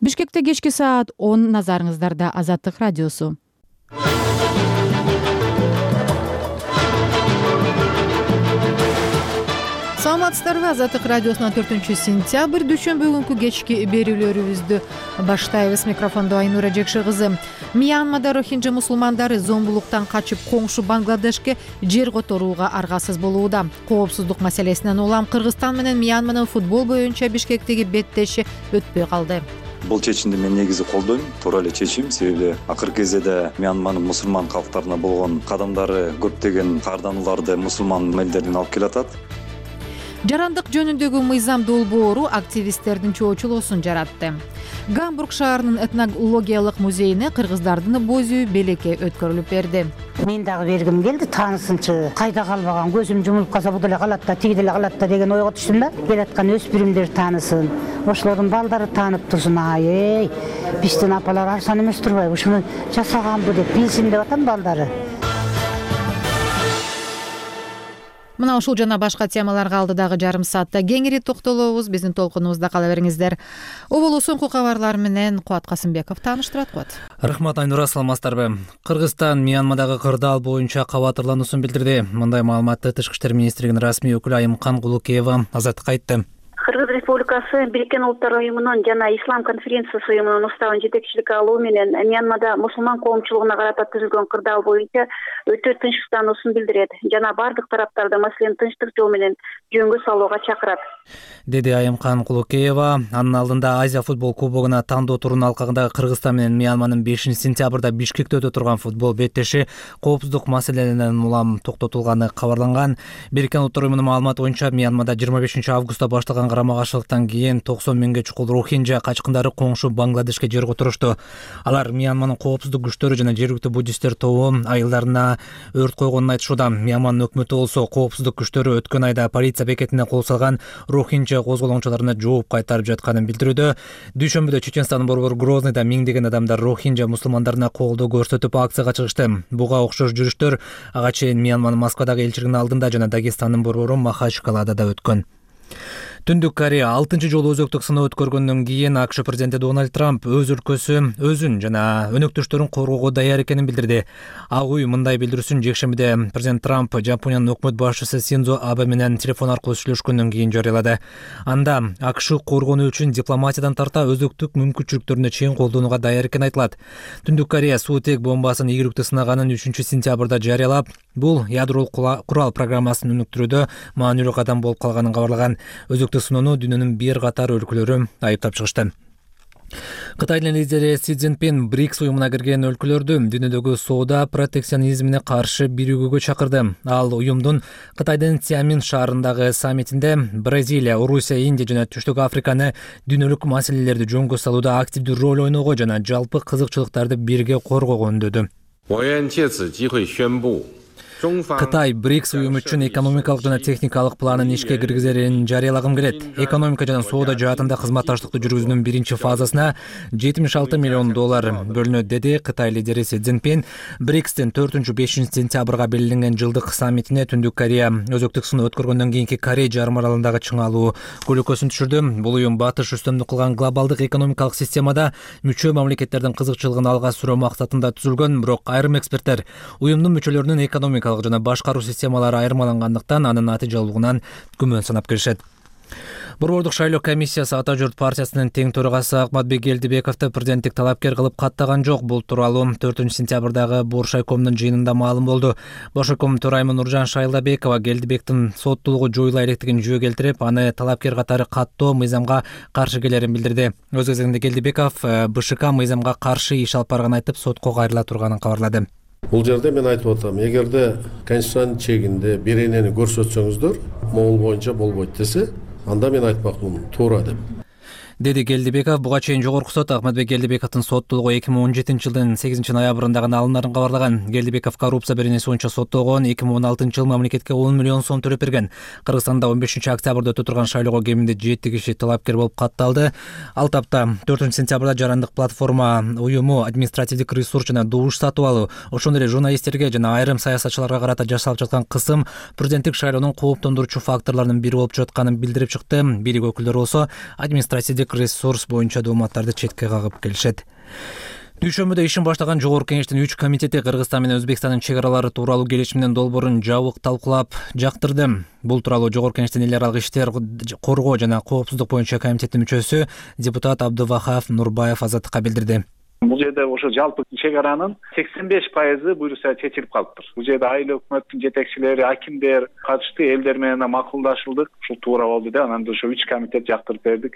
Бишкекте кечки саат 10 назарыңыздарда Азаттык радиосу. Саламатсыздарбы? Азаттык радиосунун 4-сентябрь дүйшөмбү күнкү кечки берүүлөрүбүздү баштайбыз. Микрофондо Айнура Жекши кызы. Мьянмада рохинджа мусулмандары зомбулуктан качып коңшу Бангладешке жер которууга аргасыз болууда. Коопсуздук маселесинен улам Кыргызстан менен Мьянманын футбол боюнча Бишкектеги беттеши өтпөй калды. Бул чечимди мен негизи колдойм. Туура эле чечим, себеби акыркы кезеде Мьянманын мусулман калктарына болгон кадамдары көптөгөн каарданууларды мусулман элдерден алып келатат. Жарандык жөнүндөгү мыйзам долбоору активисттердин чоочулоосун жаратты. Гамбург шаарынын этнологиялык музейине кыргыздардын боз үй белекке өткөрүлүп берди. Мен дагы бергим келди, таанысынчы кайда калбаган, көзүм жумулуп калса бу деле калат да, тиги деле калат да деген ойго түштүм да. Келаткан өспүрүмдөр таанысын, ошолордун балдары таанып турсун. Ай, биздин апалар арзан эмес турбайбы, ушуну жасаганбы деп билсин деп атам балдары. Мына ушул жана башка темаларга алдыдагы жарым саатта кеңири токтолобуз. Биздин толкунубузда кала бериңиздер. Оболу соңку кабарлар менен Кубат Касымбеков тааныштырат. Кубат. Рахмат Айнура, саламатсыздарбы? Кыргызстан Мьянмадагы кырдаал боюнча кабатырлануусун билдирди. Мындай маалыматты Тышкы иштер министрлигинин расмий өкүлү Айымкан Кулукеева Азаттыкка айтты. Кыргыз Республикасы Бириккен Улуттар уюмунун жана Ислам конференциясы уюмунун уставын жетекчилик алуу менен Мьянмада мусулман коомчулугуна карата түзүлгөн кырдаал боюнча өтө тынчсыздануусун билдирет жана бардык тараптарды маселени тынчтык жол менен жөнгө салууга чакырат, деди Айымкан Кулукеева. Анын алдында Азия футбол кубогуна тандоо турунун алкагында Кыргызстан менен Мьянманын 5-сентябрда Бишкекте өтө турган футбол беттеши коопсуздук маселелеринен улам токтотулганы кабарланган. Бириккен Улуттар уюмунун маалыматы боюнча Мьянмада 25-августта башталган карама-каршылыктан кийин 90 миңге чукул рохинджа качкындары коңшу Бангладешке жер которушту. Алар Мьянманын коопсуздук күчтөрү жана жергиликтүү буддисттер тобу айылдарына өрт койгонун айтышууда. Мьянманын өкмөтү болсо коопсуздук күчтөрү өткөн айда полиция бекетине кол салган рохинджа козголоңчуларына жооп кайтарып жатканын билдирүүдө. Дүйшөмбүдө Чеченстандын борбору Грозныйда миңдеген адамдар рохинджа мусулмандарына колдоо көрсөтүп акцияга чыгышты. Буга окшош жүрүштөр ага чейин Мьянманын Москвадагы элчилигинин алдында жана Дагестандын борбору Махачкалада өткөн. Түндүк Корея 6-чы жолу өзөктүк сыноо өткөргөндөн кийин АКШ президенти Дональд Трамп өз өлкөсү өзүн жана өнөктөштөрүн коргоого даяр экенин билдирди. Ак үй мындай билдирүүсүн жекшембиде президент Трамп Жапониянын өкмөт башчысы Синдзо Абе менен телефон аркылуу сүйлөшкөндөн кийин жарыялады. Анда АКШ коргонуу үчүн дипломатиядан тарта өзөктүк мүмкүнчүлүктөрүнө чейин колдонууга даяр экени айтылат. Түндүк Корея суутек бомбасын ийгиликтүү сынаганын 3-сентябрда жарыялап, бул ядролук курал программасын өнүктүрүүдө маанилүү кадам болуп калганын кабарлаган. Өзөктүк сыноону дүйнөнүн бир катар өлкөлөрү айыптап чыгышты. Кытайдын лидери Си Цзиньпин БРИКС уюмуна кирген өлкөлөрдү дүйнөдөгү соода протекционизмине каршы биригүүгө чакырды. Ал уюмдун Кытайдын Цзямин шаарындагы саммитинде Бразилия, Орусия, Индия жана Түштүк Африканы дүйнөлүк маселелерди жөнгө салууда активдүү роль ойноого жана жалпы кызыкчылыктарды бирге коргоого үндөдү. Кытай БРИКС уюму үчүн экономикалык жана техникалык планын ишке киргизерин жарыялагым келет. Экономика жана соода жаатында кызматташтыкты жүргүзүүнүн биринчи фазасына $76 миллион бөлүнөт, деди Кытай лидери Си Цзиньпин. БРИКСтин 4-5 сентябрга белгиленген жылдык саммитине Түндүк Корея өзөктүк сыноо өткөргөндөн кийинки Корей жарым аралындагы чыңалуу көлөкөсүн түшүрдү. Бул уюм батыш үстөмдүк кылган глобалдык экономикалык системада мүчө мамлекеттердин кызыкчылыгын алга сүрөө максатында түзүлгөн, бирок айрым эксперттер уюмдун мүчөлөрүнүн экономикалык жана башкаруу системалары айырмалангандыктан анын натыйжалуулугунан күмөн санап келишет. Борбордук шайлоо комиссиясы Ата журт партиясынын тең төрагасы Акматбек Келдибековду президенттик талапкер кылып каттаган жок. Бул тууралуу 4-сентябрдагы Боршайкомдун жыйынында маалым болду. Боршайком төрайымы Нуржан Шайлабекова Келдибектин соттуулугу жоюла электигин жөө келтирип, аны талапкер катары каттоо мыйзамга каршы келерин билдирди. Өз кезегинде Келдибеков БШК мыйзамга каршы иш алып барганын айтып, сотко кайрыла турганын кабарлады. Бул жерде мен айтып атам, эгерде конституциянын чегинде беренени көрсөтсөңүздөр, могул боюнча болбойт десе, анда мен айтмакмын туура деп. деди Келдибеков. Буга чейин жогорку сот Акматбек Келдибековдун соттуулугу 2017-жылдын 8-ноябрында алындырын кабарлаган. Келдибеков коррупция беренеси боюнча соттолгон. 2016-жылы мамлекетке 10 миллион сом төлөп берген. Кыргызстанда 15-октябрда өтө турган шайлоого кеминде 7 киши талапкер болуп катталды. Ал тапта 4-сентябрда жарандык платформа уюму административдик ресурс жана добуш сатып алуу, ошондой эле журналисттерге жана айрым саясатчыларга карата жасалып жаткан кысым президенттик шайлоонун кооптондуруучу факторлорунун бири болуп жатканын билдирип чыкты. Бийлик өкүлдөрү болсо административдик мемлекеттик ресурс боюнча дооматтарды четке кагып келишет. Дүйшөмбүдө ишин баштаган Жогорку Кеңештин 3 комитети Кыргызстан менен Өзбекстандын чек аралары тууралуу келишимдин долбоорун жабык талкуулап жактырды. Бул тууралуу Жогорку Кеңештин эл аралык иштер коргоо жана коопсуздук боюнча комитеттин мүчөсү депутат Абдывахап Нурбаев Азаттыкка билдирди. Бул жерде ошо жалпы чек аранын 85% буюрса чечилип калыптыр. Бул жерде айыл өкмөттүн жетекчилери, акимдер катышты, элдер менен макулдашылдык. Ушул туура болду да, анан ошо 3 комитет жактырып бердик.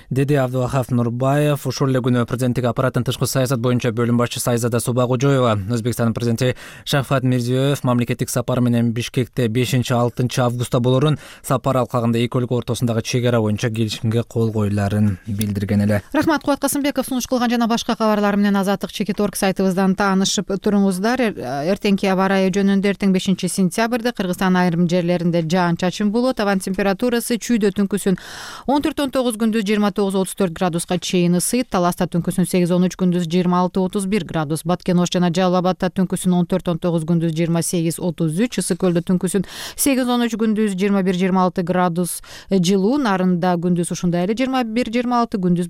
Деди Абдывахап Нурбаев. Ушул эле күнү президенттик аппараттын тышкы саясат боюнча бөлүм башчысы Айзада Субагожоева Өзбекстандын президенти Шавкат Мирзиёев мамлекеттик сапары менен Бишкекте 5-6 августта болорун, сапар алкагында эки өлкө ортосундагы чек ара боюнча келишимге кол коюларын билдирген эле. Рахмат, Кубат Касымбеков сунуш кылган жана башка кабарлар менен Азаттык Чекит.орг сайтыбыздан таанышып туруңуздар. Эртеңки аба ырайы жөнүндө эртең 5-сентябрда Кыргызстандын айрым жерлеринде жаан-чачын болот. Абан температурасы чүйдө түнкүсүн 14-19, күндүз 29-34 градуска чейин ысыйт. Таласта түнкүсүн 8-13, күндүз 26-31 градус. Баткен Ош жана Жалал Абадта түнкүсүн 14-19, күндүз 28-33. Ысык Көлдө түнкүсүн 8-13, күндүз 21-26 градус жылуу. Нарында күндүз ушундай эле 21-26, күндүз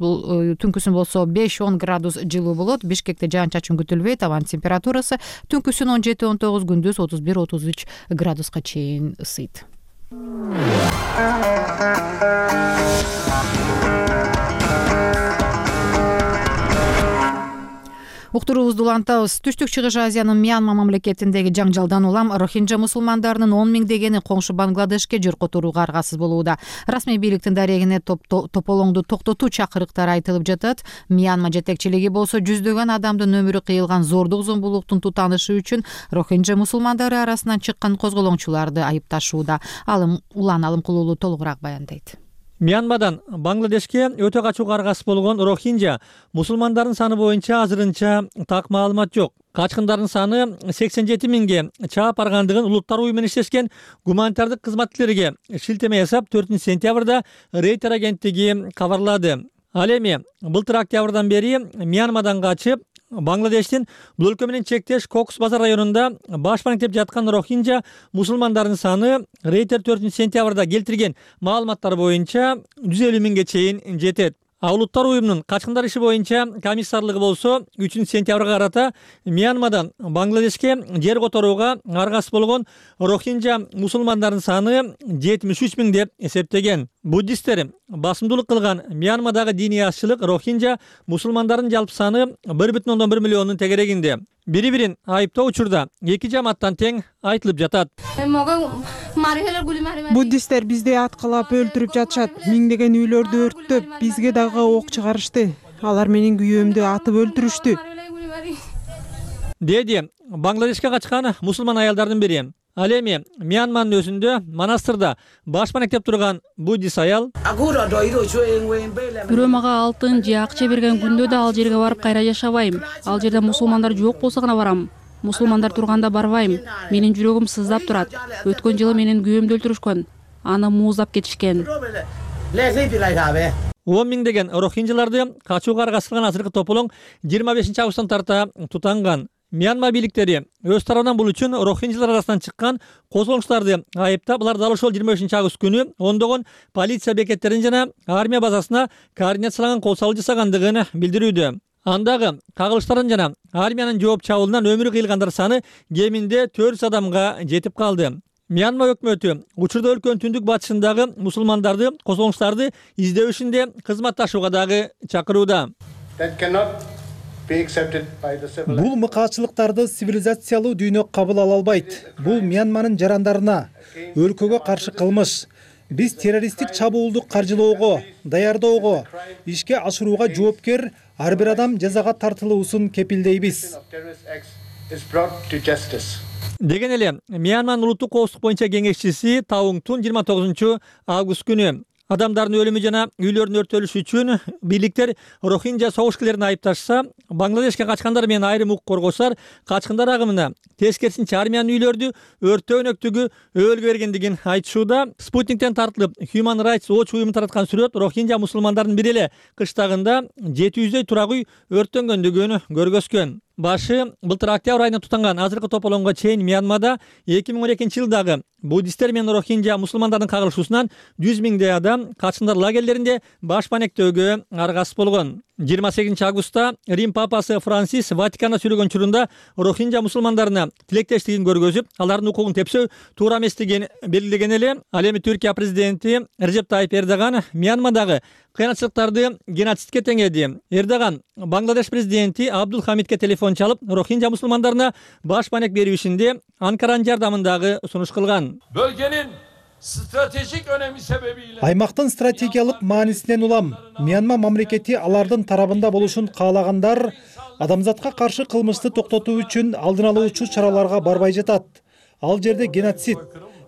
түнкүсүн болсо 5-10 градус жылуу болот. Бишкекте жаан-чачын күтүлбөйт. Абан температурасы түнкүсүн 17-19, күндүз 31-33 градуска чейин ысыйт. Уктуруубузду улантабыз. Түштүк Чыгыш Азиянын Мьянма мамлекетиндеги жаңжалдан улам Рохинджа мусулмандарынын 10 000 дегени коңшу Бангладешке жер которууга аргасыз болууда. Расмий бийликтин дарегине тополоңду токтотуу чакырыктары айтылып жатат. Мьянма жетекчилиги болсо жүздөгөн адамдын өмүрү кыйылган зордук зомбулуктун тутанышы үчүн Рохинджа мусулмандары арасынан чыккан козголоңчуларды айыпташууда. Улан Алымкулуулу толугураак баяндайт. Мьянмадан Бангладешке өтө качууга аргасыз болгон Рохинджа мусулмандардын саны боюнча азырынча так маалымат жок. Качкындардын саны 87 000ге чаап баргандыгын улуттар уюму менен иштешкен гуманитардык кызматкерлерге шилтеме жасап 4-сентябрда Рейтер агенттиги кабарлады. Ал эми былтыр октябрдан бери Мьянмадан качып Бангладештин бул өлкө менен чектеш Кокс базар районунда баш маектеп жаткан Рохинджа мусулмандардын саны Рейтер 4-сентябрда келтирген маалыматтар боюнча 150 000ге чейин жетет. Улуттар уюмунун качкындар иши боюнча комиссарлыгы болсо 3-сентябрга карата Мьянмадан Бангладешке жер которууга аргасыз болгон Рохинджа мусулмандардын саны 73 000 деп эсептеген. Буддисттер басымдуулук кылган Мьянмадагы диний азчылык Рохинджа мусулмандардын жалпы саны 1,1 миллиондун тегерегинде. Бири-бирин айыптоо учурда эки жамааттан тең айтылып жатат. Буддисттер бизди аткылап өлтүрүп жатышат. Миңдеген үйлөрдү өрттөп, бизге дагы ок чыгарышты. Алар менин күйөөмдү атып өлтүрүштү. Деди Бангладешке качкан мусулман аялдардын бири. Ал эми Мьянманын өзүндө монастырда баш маектеп турган буддист аял. Бирөө мага алтын же акча берген күндө да ал жерге барып кайра жашабайм. Ал жерде мусулмандар жок болсо гана барам. Мусулмандар турганда барбайм. Менин жүрөгүм сыздап турат. Өткөн жылы менин күйөөмдү өлтүрүшкөн. Аны мууздап кетишкен. 10 000 деген рохинджаларды качууга аргасызган азыркы тополоң 25 августтан тарта тутанган. Мьянма бийликтери өз тарабынан бул үчүн рохинджалар арасынан чыккан козголоңчуларды айыптап, алар дал ошол 25 август күнү ондогон полиция бекеттерин жана армия базасына координацияланган кол салуу жасагандыгын билдирүүдө. Андагы кагылыштардын жана армиянын жооп чабуулунан өмүрү кыйылгандар саны кеминде 400 адамга жетип калды. Мьянма өкмөтү учурда өлкөнүн түндүк батышындагы мусулмандарды, козголоңчуларды издөө ишинде кызматташууга дагы чакырууда. Бул мыкаачылыктарды цивилизациялуу дүйнө кабыл ала албайт. Бул Мьянманын жарандарына, өлкөгө каршы кылмыш. Биз террористтик чабуулду каржылоого, даярдоого, ишке ашырууга жоопкер ар бир адам жазага тартылуусун кепилдейбиз. Деген эле Мьянманын улуттук коопсуздук боюнча кеңешчиси Тауңтун 29 август күнү адамдардын өлүмү жана үйлөрдүн өрттөлүшү үчүн бийликтер Рохинджа согушкерлерин айыпташса, Бангладешке качкандар менен айрым укук коргоочулар качкындар агымына тескерисинче армиянын үйлөрдү өрттөө өнөктүгү өбөлгө бергендигин айтышууда. Спутниктен тартылып Human Rights Watch уюму тараткан сүрөт Рохинджа мусулмандардын бир эле кыштагында 700дөй турак үй өрттөнгөндүгүн көргөзгөн. башы былтыр октябрь айында тутанган азыркы тополоңго чейин Мьянмада 2012-жылдагы буддисттер менен рохинжа мусулмандардын кагылышуусунан 100 миңдей адам качкындар лагерлеринде баш банектөөгө аргасыз болгон. 28 августта Рим папасы Франсис Ватиканда сүйлөгөн учурунда рохинжа мусулмандарына тилектештигин көргөзүп, алардын укугун тепсөө туура эместигин белгилеген эле. Ал эми Түркия президенти Режеп Тайип Эрдоган Мьянмадагы кыянатчылыктарды геноцидке теңеди. Эрдоган Бангладеш президенти Абдул Хамидке телефон чалып, рохинжа мусулмандарына баш банек берүү ишинде Анкаранын жардамындагы сунуш кылган. Bölgenin stratejik önemi sebebiyle аймактын стратегиялык маанисинен улам Мьянма мамлекети алардын тарабында болушун каалагандар адамзатка каршы кылмышты токтотуу үчүн алдын алуучу чараларга барбай жатат. Ал жерде геноцид.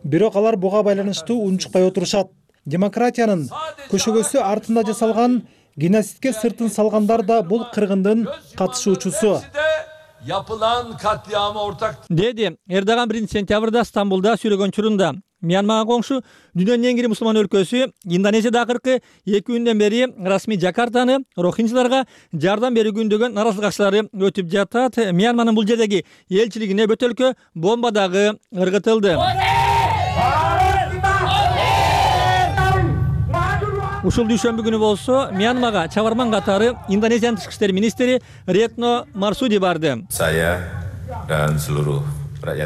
Бирок алар буга байланыштуу унчукпай отурушат. Демократиянын көшөгөсү артында жасалган геноцидке сыртын салгандар да бул кыргындын катышуучусу. yapılan katliama ortak Деди Эрдоган 1 сентябрда Стамбулда сүйлөгөн учурунда. Мьянмага коңшу дүйнөнүн эң ири мусулман өлкөсү Индонезияда акыркы 2 күндөн бери расмий Жакартаны рохинжиларга жардам берүүгүндөгөн наразылык акчалары өтүп жатат. Мьянманын бул жердеги элчилигине бөтөлкө бомба дагы ыргытылды. Ушул дүйшөмбү күнү болсо Мьянмага чабарман катары Индонезиянын тышкы иштер министри Ретно Марсуди барды.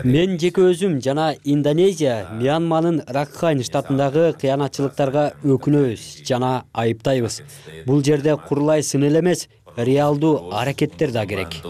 Мен жеке өзүм жана Индонезия Мьянманын Ракхайн штатындагы кыянатчылыктарга өкүнөбүз жана айыптайбыз. Бул жерде курулай сын эле эмес, реалдуу аракеттер да керек.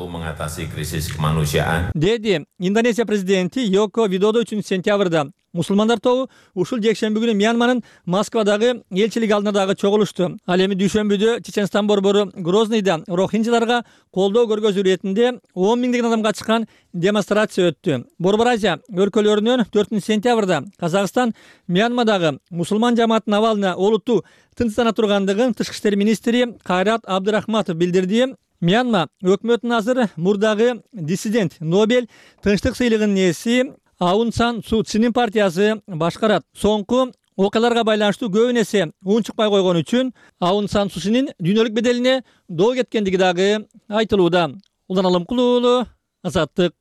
Деди Индонезия президенти Йоко Видодо 3 сентябрда. Мусулмандар тобу ушул жекшемби күнү Мьянманын Москвадагы элчилиги алдында дагы чогулушту. Ал эми дүйшөмбүдө Чеченстан борбору Грознийда рохинжиларга колдоо көргөзүү иретинде 10 миңдеген адамга чыккан демонстрация өттү. Борбор Азия өлкөлөрүнөн 4 сентябрда Казакстан Мьянмадагы мусулман жамааттын абалына олуттуу тынчсыздана тургандыгын тышкы иштер министри Кайрат Абдырахматов билдирди. Мьянма өкмөтүнүн азыр мурдагы диссидент Нобель тынчтык сыйлыгынын ээси Аун Сан Су Чинин партиясы башкарат. Соңку окуяларга байланыштуу көбүн эсе унчукпай койгон үчүн Аун Сан Су Чинин дүйнөлүк беделине доо кеткендиги дагы айтылууда. Улан Алымкулуу, Азаттык.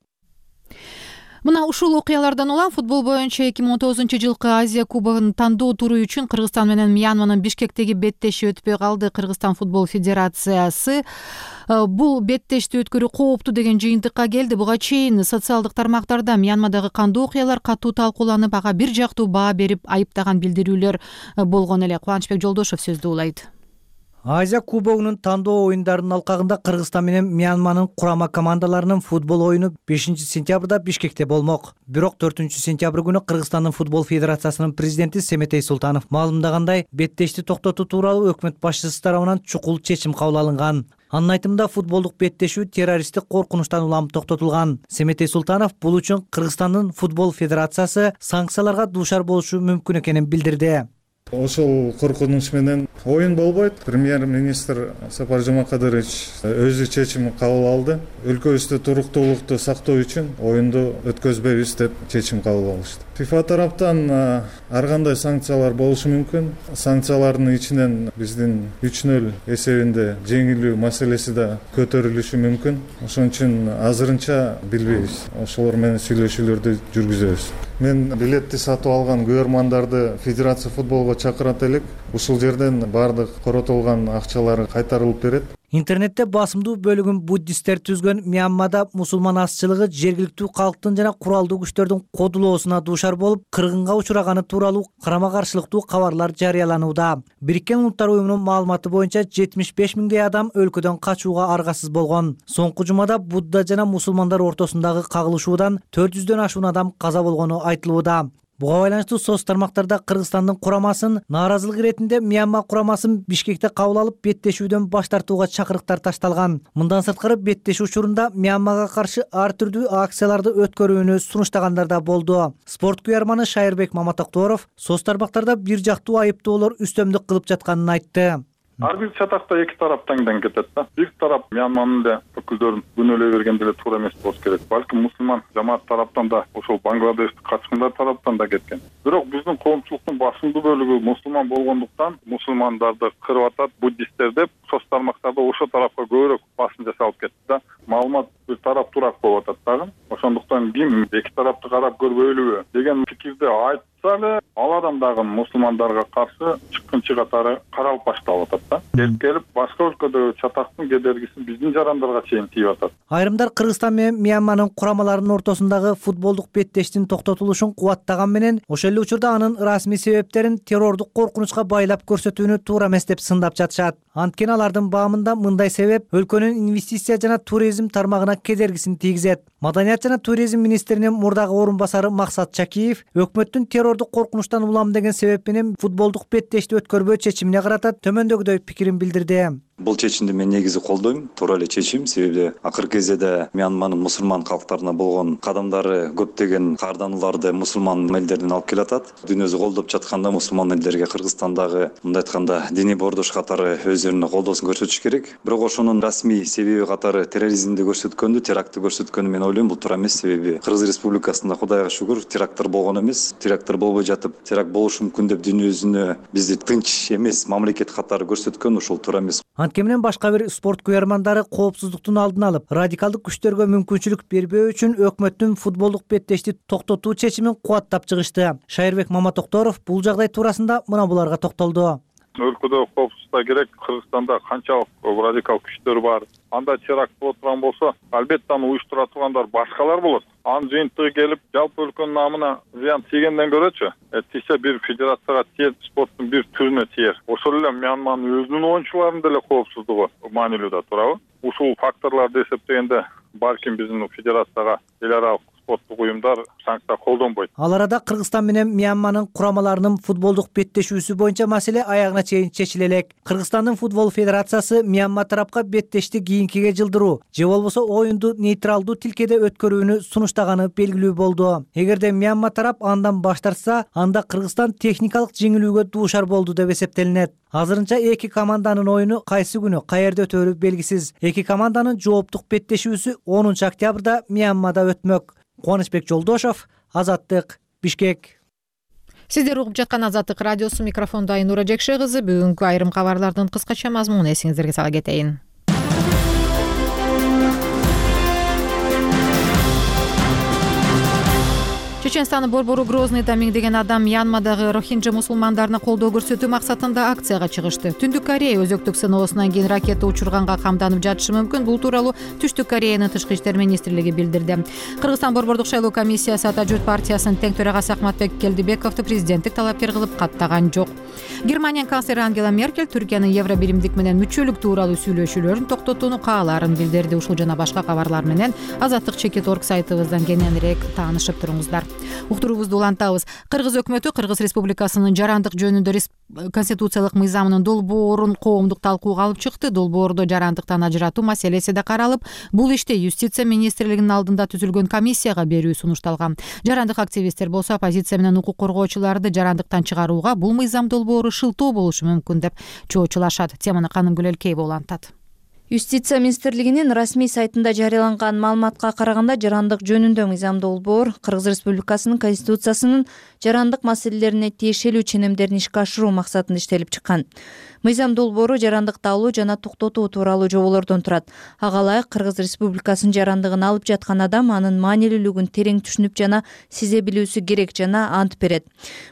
Мына ушул окуялардан улам футбол боюнча 2019-жылкы Азия кубогунун тандоо туру үчүн Кыргызстан менен Мьянманын Бишкектеги беттеши өтпөй калды. Кыргызстан футбол федерациясы бул беттешти өткөрүү кооптуу деген жыйынтыкка келди. Буга чейин социалдык тармактарда Мьянмадагы кандуу окуялар катуу талкууланып, ага бир жактуу баа берип айыптаган билдирүүлөр болгон эле. Кубанычбек Жолдошов сөздү улайт. Азия кубогунун тандоо оюндарынын алкагында Кыргызстан менен Мьянманын курама командаларынын футбол оюну 5 сентябрда Бишкекте болмок. Бирок 4 сентябрь күнү Кыргызстандын футбол федерациясынын президенти Семетей Султанов маалымдагандай, беттешти токтотуу тууралуу өкмөт башчысы тарабынан чукул чечим кабыл алынган. Анын айтымында футболдук беттешүү террористтик коркунучтан улам токтотулган. Семетей Султанов бул үчүн Кыргызстандын футбол федерациясы санкцияларга дуушар болушу мүмкүн экенин билдирди. Ошол коркунуч менен оюн болбойт. Премьер-министр Сапар Жумакадырович өзү чечим кабыл алды. Өлкөбүздө туруктуулукту сактоо үчүн оюнду өткөзбөйбүз деп чечим кабыл алышты. ФИФА тараптан ар кандай санкциялар болушу мүмкүн. Санкциялардын ичинен биздин 3-0 эсебинде жеңилүү маселеси да көтөрүлүшү мүмкүн. Ошон үчүн азырынча билбейбиз. Ошолор менен сүйлөшүүлөрдү жүргүзөбүз. Мен билетти сатып алган көрөрмандарды Федерация футболго чакырат элек. Ушул жерден бардык коротулган акчалары кайтарылып берет. Интернетте басымдуу бөлүгүн буддисттер түзгөн Мьянмада мусулман азчылыгы жергиликтүү калктын жана куралдуу күчтөрдүн кодулоосуна дуушар болуп, кыргынга учураганы тууралуу карама каршылыктуу кабарлар жарыяланууда. Бириккен Улуттар уюмунун маалыматы боюнча 75 миңдей адам өлкөдөн качууга аргасыз болгон. Соңку жумада Будда жана мусулмандар ортосундагы кагылышуудан 400дөн ашуун адам каза болгону айтылууда. Буга байланыштуу соц тармактарда Кыргызстандын курамасын нааразылык иретинде Мьянма курамасын Бишкекте кабыл алып беттешүүдөн баш тартууга чакырыктар ташталган. Мындан сырткары беттешүү учурунда Мьянмага каршы ар түрдүү акцияларды өткөрүүнү сунуштагандар да болду. Спорт куярманы Шайырбек Маматокторов соц тармактарда бир жактуу айыптоолор үстөмдүк кылып жатканын айтты. Ар бир чатакта эки тарап таңдан кетет да. Бир тарап Мьянманын да өкүлдөрүн күнөөлөй бергенде эле туура эмес болуш керек. Балким мусулман жамаат тараптан да, ошол Бангладештик качкындар тараптан да кеткен. Бирок биздин коомчулуктун басымдуу бөлүгү мусулман болгондуктан мусулмандарды кырып атат, буддисттер деп соц тармактарда ошол тарапка көбүрөөк басым жасалып кетти да. Маалымат бир тараптуураак болуп атат дагы. Ошондуктан ким эки тарапты карап көрбөйлүбү деген пикирди айтса эле, ал адам дагы мусулмандарга каршы чыккынчы катары каралып башталып атат да. Келип башка өлкөдө чатактын кедергиси биздин жарандарга чейин тийип атат. Айрымдар Кыргызстан менен Мьянманын курамаларынын ортосундагы футболдук беттештин токтотулушун кубаттаган менен ошол эле учурда анын расмий себептерин террордук коркунучка байлап көрсөтүүнү туура эмес деп сындап жатышат. Анткени алардын баамында мындай себеп өлкөнүн инвестиция жана туризм тармагына кедергисин тийгизет. Маданият жана туризм министринин мурдагы орун басары Максат Чакиев өкмөттүн террордук коркунучтан улам деген себеп менен футболдук беттешти өткөрбөө чечимине карата төмөндөгүдөй пикирин билдирди. Бул чечимди мен негизи колдойм. Туура эле чечим, себеби акыркы кезеде Мьянманын мусулман калктарына болгон кадамдары көптөгөн каарданууларды мусулман элдерден алып келатат. Дүйнөсү колдоп жатканда мусулман элдерге Кыргызстандагы мындай айтканда диний бордош катары өздөрүнүн колдоосун көрсөтүш керек. Бирок ошонун расмий себеби катары терроризмди көрсөткөндү, терактты көрсөткөнү мен ойлойм, бул туура эмес. Себеби Кыргыз Республикасында Кудайга шүгүр теракттар болгон эмес. Теракттар болбой жатып, теракт болушу мүмкүн деп дүйнөсүнө бизди тынч эмес мамлекет катары көрсөткөн ошол туура эмес. Анткени менен башка бир спорт күйөрмандары коопсуздуктун алдын алып, радикалдык күчтөргө мүмкүнчүлүк бербөө үчүн өкмөттүн футболдук беттешти токтотуу чечимин кубаттап чыгышты. Шайырбек Маматокторов бул жагдай туурасында мына буларга токтолду. Өлкөдө коопсуздук керек. Кыргызстанда канчалык радикал күчтөр бар. Анда теракт боло турган болсо, албетте аны уюштура тургандар башкалар болот. Анын жыйынтыгы келип, жалпы өлкөнүн намына зыян тийгенден көрөчү, тийсе бир федерацияга тиер, спорттун бир түрүнө тиер. Ошол эле Мьянманын өзүнүн оюнчуларынын деле коопсуздугу маанилүү да, туурабы? Ушул факторлорду эсептегенде балким биздин федерацияга эл аралык спорттук уюмдар санкция колдонбойт. Ал арада Кыргызстан менен Мьянманын курамаларынын футболдук беттешүүсү боюнча маселе аягына чейин чечиле элек. Кыргызстандын футбол федерациясы Мьянма тарапка беттешти кийинкиге жылдыруу же болбосо оюнду нейтралдуу тилкеде өткөрүүнү сунуштаганы белгилүү болду. Эгерде Мьянма тарап андан баш тартса, анда Кыргызстан техникалык жеңилүүгө дуушар болду деп эсептелинет. Азырынча эки команданын оюну кайсы күнү каерде өтөөрү белгисиз. Эки команданын жооптук беттешүүсү 10 октябрда Мьянмада өтмөк. Кубанычбек Жолдошов, Азаттык, Бишкек. Сиздер угуп жаткан Азаттык радиосу, микрофондо Айнура Жекше кызы. Бүгүнкү айрым кабарлардын кыскача мазмунун эсиңиздерге сала кетейин. Чеченстандын борбору Грозныйда миңдеген адам Мьянмадагы рохинджа мусулмандарына колдоо көрсөтүү максатында акцияга чыгышты. Түндүк Корея өзөктүк сыноосунан кийин ракета учурганга камданып жатышы мүмкүн. Бул тууралуу Түштүк Кореянын тышкы иштер министрлиги билдирди. Кыргызстан борбордук шайлоо комиссиясы Ата журт партиясынын тең төрагасы Акматбек Келдибековду президенттик талапкер кылып каттаган жок. Германиянын канцлери Ангела Меркель Түркиянын Евробиримдик менен мүчөлүк тууралуу сүйлөшүүлөрүн токтотууну каалаарын билдирди. Ушул жана башка кабарлар менен Азаттык.org сайтыбыздан кененирээк таанышып туруңуздар. Уктуруубузду улантабыз. Кыргыз өкмөтү Кыргыз Республикасынын жарандык жөнүндө конституциялык мыйзамынын долбоорун коомдук талкууга алып чыкты. Долбоордо жарандыктан ажыратуу маселеси да каралып, бул иште юстиция министрлигинин алдында түзүлгөн комиссияга берүү сунушталган. Жарандык активисттер болсо оппозиция менен укук коргоочуларды жарандыктан чыгарууга бул мыйзам долбоору шылтоо болушу мүмкүн деп чоочулашат. Теманы Канымгүл Элкеева улантат. Юстиция министрлигинин расмий сайтында жарыяланган маалыматка караганда жарандык жөнүндө мыйзам долбоор Кыргыз Республикасынын Конституциясынын жарандык маселелерине тиешелүү ченемдерин ишке ашыруу максатында иштелип чыккан. Мыйзам долбоору жарандыкты алуу жана токтотуу тууралуу жоболордон турат. Ага ылайык Кыргыз Республикасынын жарандыгын алып жаткан адам анын маанилүүлүгүн терең түшүнүп жана сезе билүүсү керек жана ант берет.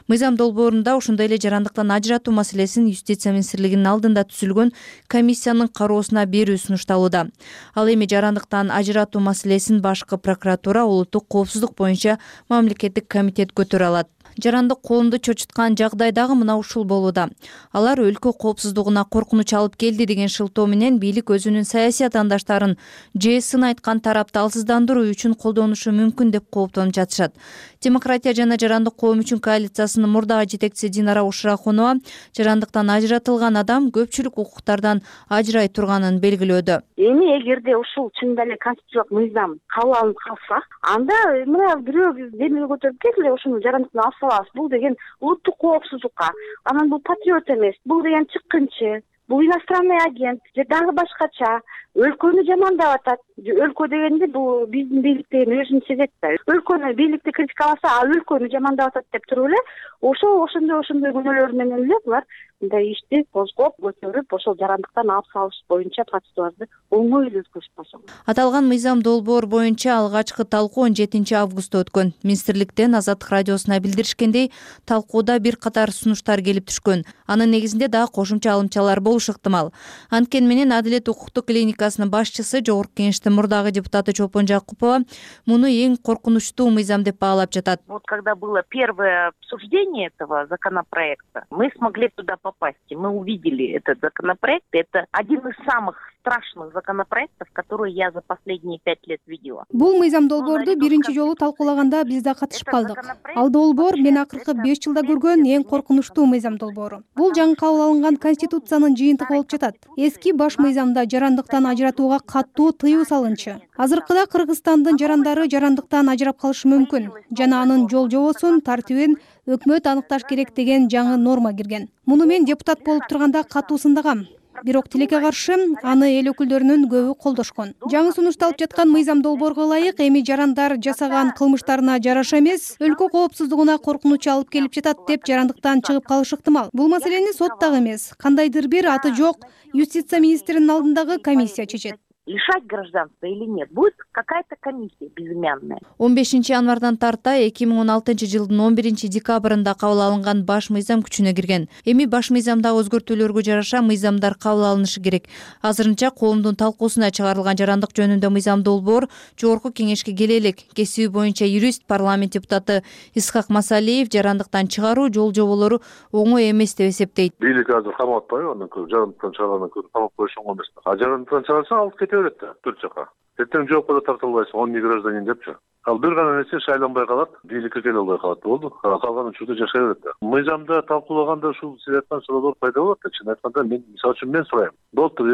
Мыйзам долбоорунда ошондой эле жарандыктан ажыратуу маселесин Юстиция министрлигинин алдында түзүлгөн комиссиянын кароосуна берүү сунушталууда. Ал эми жарандыктан ажыратуу маселесин башкы прокуратура улуттук коопсуздук боюнча мамлекеттик комитет көтөрө алат. Жарандык коомду чочуткан жагдайдагы мына ушул болууда. Алар өлкө коопсуздугуна коркунуч алып келди деген шылтоо менен бийлик өзүнүн саясий атаандаштарын же сын айткан тарапты алсыздандыруу үчүн колдонушу мүмкүн деп кооптонуп жатышат. Демократия жана жарандык коом үчүн коалициясынын мурдагы жетекчиси Динара Ушрахунова жарандыктан ажыратылган адам көпчүлүк укуктардан ажырай турганын белгилөөдө. Эми эгерде ушул чындап эле конституциялык мыйзам кабыл алынып калса, анда мына бирөө демилге көтөрүп келе ушуну жарандыктан алсалабыз. Бул деген улуттук коопсуздукка, анан бул патриот эмес, бул деген чыккынчы, бул иностранный агент же дагы башкача өлкөнү жамандап атат. өлкө дегенде бул биздин бийлик деген өзүн сезет да. Өлкөнү бийликти критикаласа, а өлкөнү жамандап атат деп туруп эле ошондой күнөөлөр менен эле булар мындай ишти козгоп, көтөрүп, ошол жарандыктан алып салыш боюнча процедураны оңой эле өткөзүп койсо. Аталган мыйзам долбоор боюнча алгачкы талкуу 17 августта өткөн. Министрликтен Азаттык радиосуна билдиришкендей, талкууда бир катар сунуштар келип түшкөн. Анын негизинде дагы кошумча алымчалар болушу ыктымал. Анткени менен Адилет укуктук клиникасынын башчысы, Жогорку Кеңештин мурдагы депутаты Чолпон Жакупова муну эң коркунучтуу мыйзам деп баалап жатат. Вот когда было первое обсуждение этого законопроекта, мы смогли туда попасть. Мы увидели этот законопроект. Это один из самых страшных законопроектов, которые я за последние 5 лет видела. Бул мыйзам долбоорду биринчи жолу талкуулаганда биз да катышып калдык. Ал долбоор мен акыркы 5 жылда көргөн эң коркунучтуу мыйзам долбоору. Бул жаңы кабыл алынган Конституциянын жыйынтыгы болуп жатат. Эски баш мыйзамда жарандыктан ажыратууга катуу тыюу салынчу. Азыркыда Кыргызстандын жарандары жарандыктан ажырап калышы мүмкүн жана анын жол жобосун, тартибин өкмөт аныкташ керек деген жаңы норма кирген. Муну мен депутат болуп турганда катуу сындагам. Бирок тилекке каршы аны эл өкүлдөрүнүн көбү колдошкон. Жаңы сунушталып жаткан мыйзам долбоорго ылайык эми жарандар жасаган кылмыштарына жараша эмес, өлкө коопсуздугуна коркунуч алып келип жатат деп жарандыктан чыгып калышы ыктымал. Бул маселени сот дагы эмес, кандайдыр бир аты жок юстиция министринин алдындагы комиссия чечет. Лишать гражданства или нет, будет какая-то комиссия безымянная. 15 январдан тарта 2016 жылдын 11 декабрында кабыл алынган баш мыйзам күчүнө кирген. Эми баш мыйзамда өзгөртүүлөргө жараша мыйзамдар кабыл алынышы керек. Азырынча коомдун талкуусуна чыгарылган жарандык жөнүндө мыйзам долбоор Жогорку Кеңешке келе элек. Кесиби боюнча юрист, парламент депутаты Исхак Масалиев жарандыктан чыгаруу жол жоболору оңой эмес деп эсептейт. Бийлик азыр камап атпайбы, андан көрө жарандыктан чыгаргандан көрө камап коюш оңой эмес. А жарандыктан чыгарса алып кете берет да, төрт жака. Эртең жоопко да тарта албайсың, 10 гражданин депчи. Ал бир гана нерсе шайланбай калат, бийликке келе албай калат, болду. Калган учурда жашай берет да. Мыйзамда талкуулаганда ушул сиз айткан суроолор пайда болот да. Чын айтканда мен мисалы үчүн мен сурайм. Болуптур,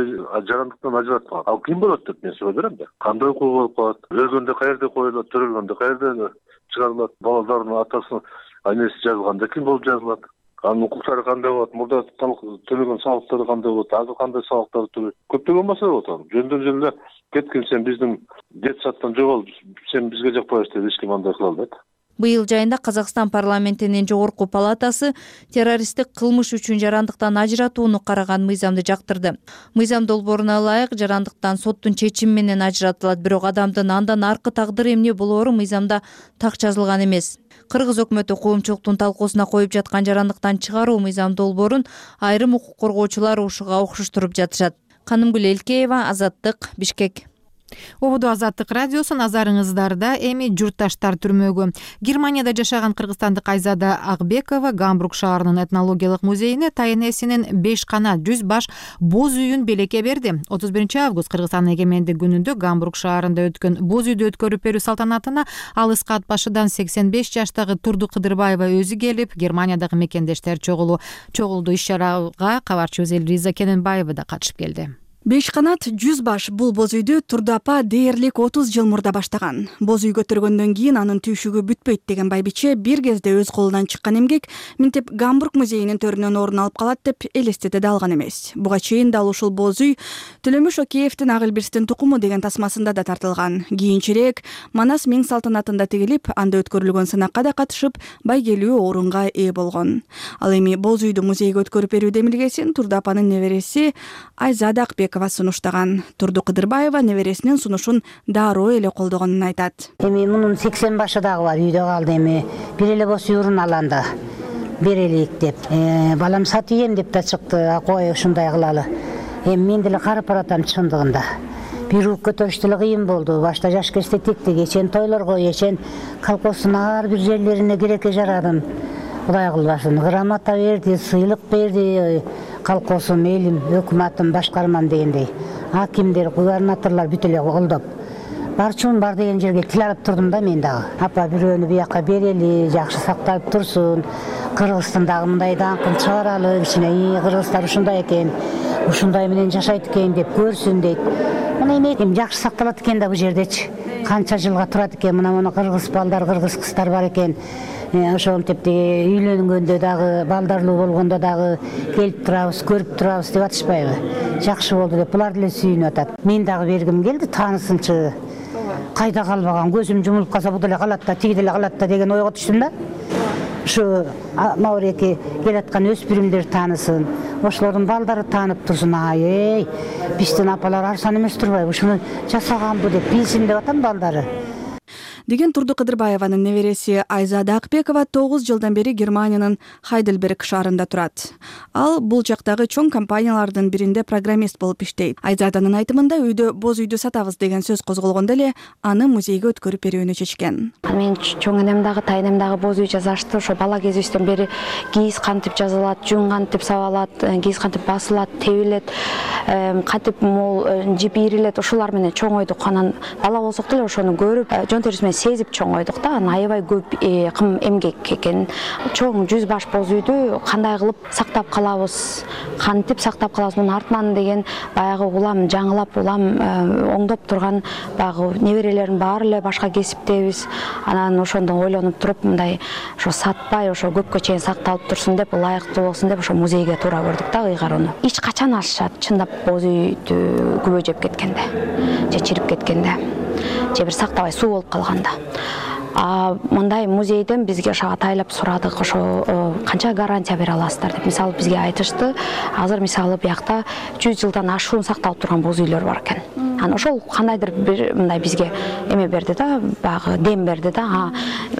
жарандыктан ажыраткан. Ал ким болот деп мен суроо берем да. Кандай укугу болуп калат? Өлгөндө каерде коюлат, төрөлгөндө каерде чыгарылат? Балдардын атасынын айнеси жазылганда ким болуп жазылат? Анын укуктары кандай болот? Мурда төлөгөн салыктары кандай болот? Азыр кандай салыктарды төлөйт? Көптөгөн маселе болот анын. Жөндөн эле кеткин сен биздин детсадтан жогол, сен бизге жакпайсың деп эч ким андай кыла албайт. Быйыл жайында Казакстан парламентинин жогорку палатасы террористтик кылмыш үчүн жарандыктан ажыратууну караган мыйзамды жактырды. Мыйзам долбооруна ылайык жарандыктан соттун чечими менен ажыратылат, бирок адамдын андан аркы тагдыры эмне болоору мыйзамда так жазылган эмес. Кыргыз өкмөтү коомчулуктун талкуусуна коюп жаткан жарандыктан чыгаруу мыйзам долбоорун айрым укук коргоочулар ушуга окшоштуруп жатышат. Канымгүл Элкеева, Азаттык, Бишкек. Обуду Азаттык радиосу назарыңыздарда. Эми журтташтар түрмөгү. Германияда жашаган кыргызстандык Айзада Акбекова Гамбург шаарынын этнологиялык музейине тайнесинин 5 канат 100 баш боз үйүн белекке берди. 31 август Кыргызстандын эгемендик күнүндө Гамбург шаарында өткөн боз үйдү өткөрүп берүү салтанатына алыс кат башыдан 85 жаштагы Турду Кыдырбаева өзү келип, Германиядагы мекендештер чогулду. Иш-чарага кабарчыбыз Элриза Кененбаева да катышып келди. 5 канат 100 баш бул боз үйдү Турду апа дээрлик 30 жыл мурда баштаган. Боз үй көтөргөндөн кийин анын түйшүгү бүтпөйт деген байбиче бир кезде өз колунан чыккан эмгек минтип Гамбург музейинин төрүнөн орун алып калат деп элестете да алган эмес. Буга чейин дал ушул боз үй Төлөмүш Океевдин Агылбирстин тукуму деген тасмасында да тартылган. Кийинчерээк Манас миң салтанатында тигилип, анда өткөрүлгөн сынакка да катышып, байгелүү орунга ээ болгон. Ал эми боз үйдү музейге өткөрүп берүү демилгесин Турду апанын небереси Айзада Акбекова сунуштаган. Турду Кыдырбаева небересинин сунушун дароо эле колдогонун айтат. Эми мунун 80 башы дагы бар, үйдө калды. Эми бир эле боз үйрун аланда берелик деп. Балам сатыйын деп да чыкты. Кой ушундай кылалы. Эми мен деле карып баратам чындыгында. Бир ук көтөрүш деле кыйын болду. Башта жаш кезде тиктик, эчен тойлорго, эчен колхоздун ар бир жерлерине керекке жарадым. Кудай кылбасын. Грамота берди, сыйлык берди. Колхозум, элим, өкмөтүм, башкармам дегендей. Акимдер, губернаторлор бүт эле колдоп. Барчуун бар деген жерге тил алып турдум да мен дагы. Апа бирөөнү бияка берели, жакшы сакталып турсун. Кыргызстандагы мындай даңкын чыгаралы, кичине кыргыздар ушундай экен, ушундай менен жашайт экен деп көрсүн дейт. Мына эми жакшы сакталат экен да бул жердечи. Канча жылга турат экен, мына кыргыз балдар, кыргыз кыздар бар экен. ошентип үйлөнгөндө дагы балдарлуу болгондо дагы келип турабыз, көрүп турабыз деп атышпайбы? Жакшы болду деп булар деле сүйүнүп атат. Мен дагы бергим келди таанысынчы. Кайда калбаган, көзүм жумулуп калса бу деле калат да, тиги деле калат да деген ойго түштүм да. Ушу Мауреке келаткан өспүрүмдөр таанысын, ошолордун балдары таанып турсун. Ай, биздин апалар арзан эмес турбайбы? Ушуну жасаганбы деп билсин деп атам балдары. Деген Турду Кыдырбаеванын небереси Айзада Акбекова 9 жылдан бери Германиянын Хайдельберг шаарында турат. Ал бул жактагы чоң компаниялардын биринде программист болуп иштейт. Айзаданын айтымында үйдө боз үйдү сатабыз деген сөз козголгондо эле аны музейге өткөрүп берүүнү чечкен. Мен чоң энем дагы, тайнем дагы боз үй жасашты. Ошо бала кезибизден бери кийиз кантип жазылат, жүн кантип сабалат, кийиз кантип басылат, тебилет, кантип мол жип ийрилет, ошолар менен чоңойдук. Анан бала болсок деле ошону көрүп, жон терисинен сезип чоңойдук да. Анан аябай көп кым эмгек экен. Чоң 100 баш боз үйдү кандай кылып сактап калабыз, кантип сактап калабыз, мунун артынан деген баягы улам жаңылап, улам оңдоп турган баягы неберелердин баары эле башка кесиптебиз. Анан ошондон ойлонуп туруп, мындай ошо сатпай, ошо көпкө чейин сакталып турсун деп, ылайыктуу болсун деп ошо музейге туура көрдүк да ыйгарууну. Эч качан ашышат, чындап боз үйдү күбө жеп кеткенде, же чирип кеткенде, же бир сактабай суу болуп калганда. Мындай музейден бизге ошо атайлап сурадык, ошо канча гарантия бере аласыздар деп. Мисалы бизге айтышты, азыр мисалы биякта 100 жылдан ашуун сакталып турган боз үйлөр бар экен. Анан ошол кандайдыр бир мындай бизге эме берди да, баягы дем берди да.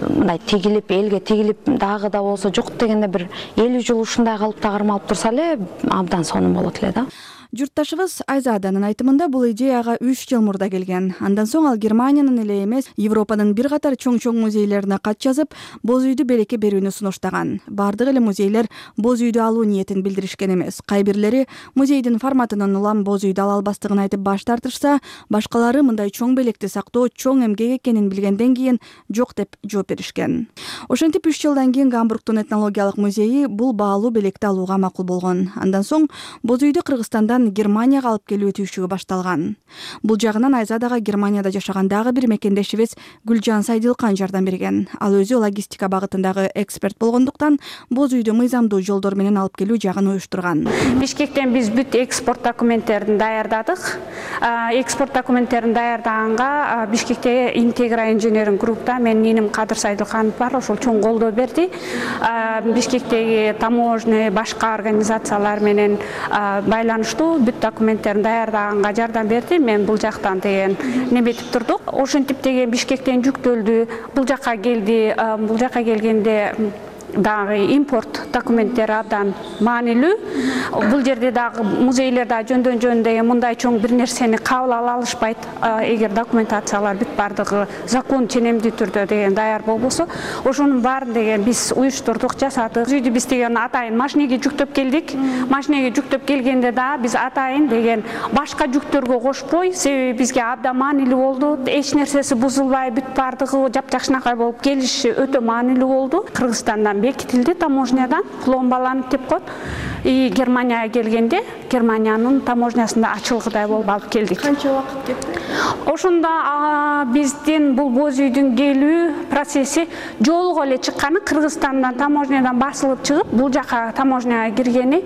Мындай тигилип, элге тигилип дагы да болсо жок дегенде бир 50 жыл ушундай калыпта кармалып турса эле абдан сонун болот эле да. Журтташыбыз Айзаданын айтымында бул идеяга 3 жыл мурда келген. Андан соң ал Германиянын эле эмес, Европанын бир катар чоң-чоң музейлерине кат жазып, боз үйдү белекке берүүнү сунуштаган. Бардык эле музейлер боз үйдү алуу ниетин билдиришкен эмес. Кай бирлери музейдин форматынан улам боз үйдү ала албастыгын айтып баш тартышса, башкалары мындай чоң белекти сактоо чоң эмгек экенин билгенден кийин жок деп жооп беришкен. Ошентип 3 жылдан кийин Гамбургдун этнологиялык музейи бул баалуу белекти алууга макул болгон. Андан соң боз үйдү Кыргызстандан Германияга алып келүү түйшүгү башталган. Бул жагынан Айзадага Германияда жашаган дагы бир мекендешибиз Гүлжан Сайдылкан жардам берген. Ал өзү логистика багытындагы эксперт болгондуктан боз үйдү мыйзамдуу жолдор менен алып келүү жагын уюштурган. Бишкектен биз бүт экспорт документтерин даярдадык. Экспорт документтерин даярдаганга Бишкекте Интегра инженеринг группта менин иним Кадыр Сайдылканов бар, ошол чоң колдоо берди. Бишкектеги таможня, башка организациялар менен байланыштуу бүт документтерин даярдаганга жардам берди. Мен бул жактан деген неметип турдук. Ошентип деген Бишкектен жүктөлдү, бул жакка келди. Бул жакка келгенде дагы импорт документтери абдан маанилүү. Бул жерде дагы музейлер да жөндөн жөн деген мындай чоң бир нерсени кабыл ала алышпайт. Эгер документациялар бүт бардыгы закон ченемдүү түрдө деген даяр болбосо, ошонун баарын деген биз уюштурдук, жасадык. Үйдү биз деген атайын машинеге жүктөп келдик. Машинеге жүктөп келгенде да биз атайын деген башка жүктөргө кошпой, себеби бизге абдан маанилүү болду. Эч нерсеси бузулбай, бүт бардыгы жапжакшынакай болуп келиши өтө маанилүү болду. Кыргызстандан бекитилди, таможнядан пломбаланып деп коет. Германияга келгенде Германиянын таможнясында ачылгыдай болуп алып келдик. Канча убакыт кетти? Ошондо биздин бул боз үйдүн келүү процесси жолго эле чыкканы, Кыргызстандан таможнядан басылып чыгып, бул жака таможняга киргени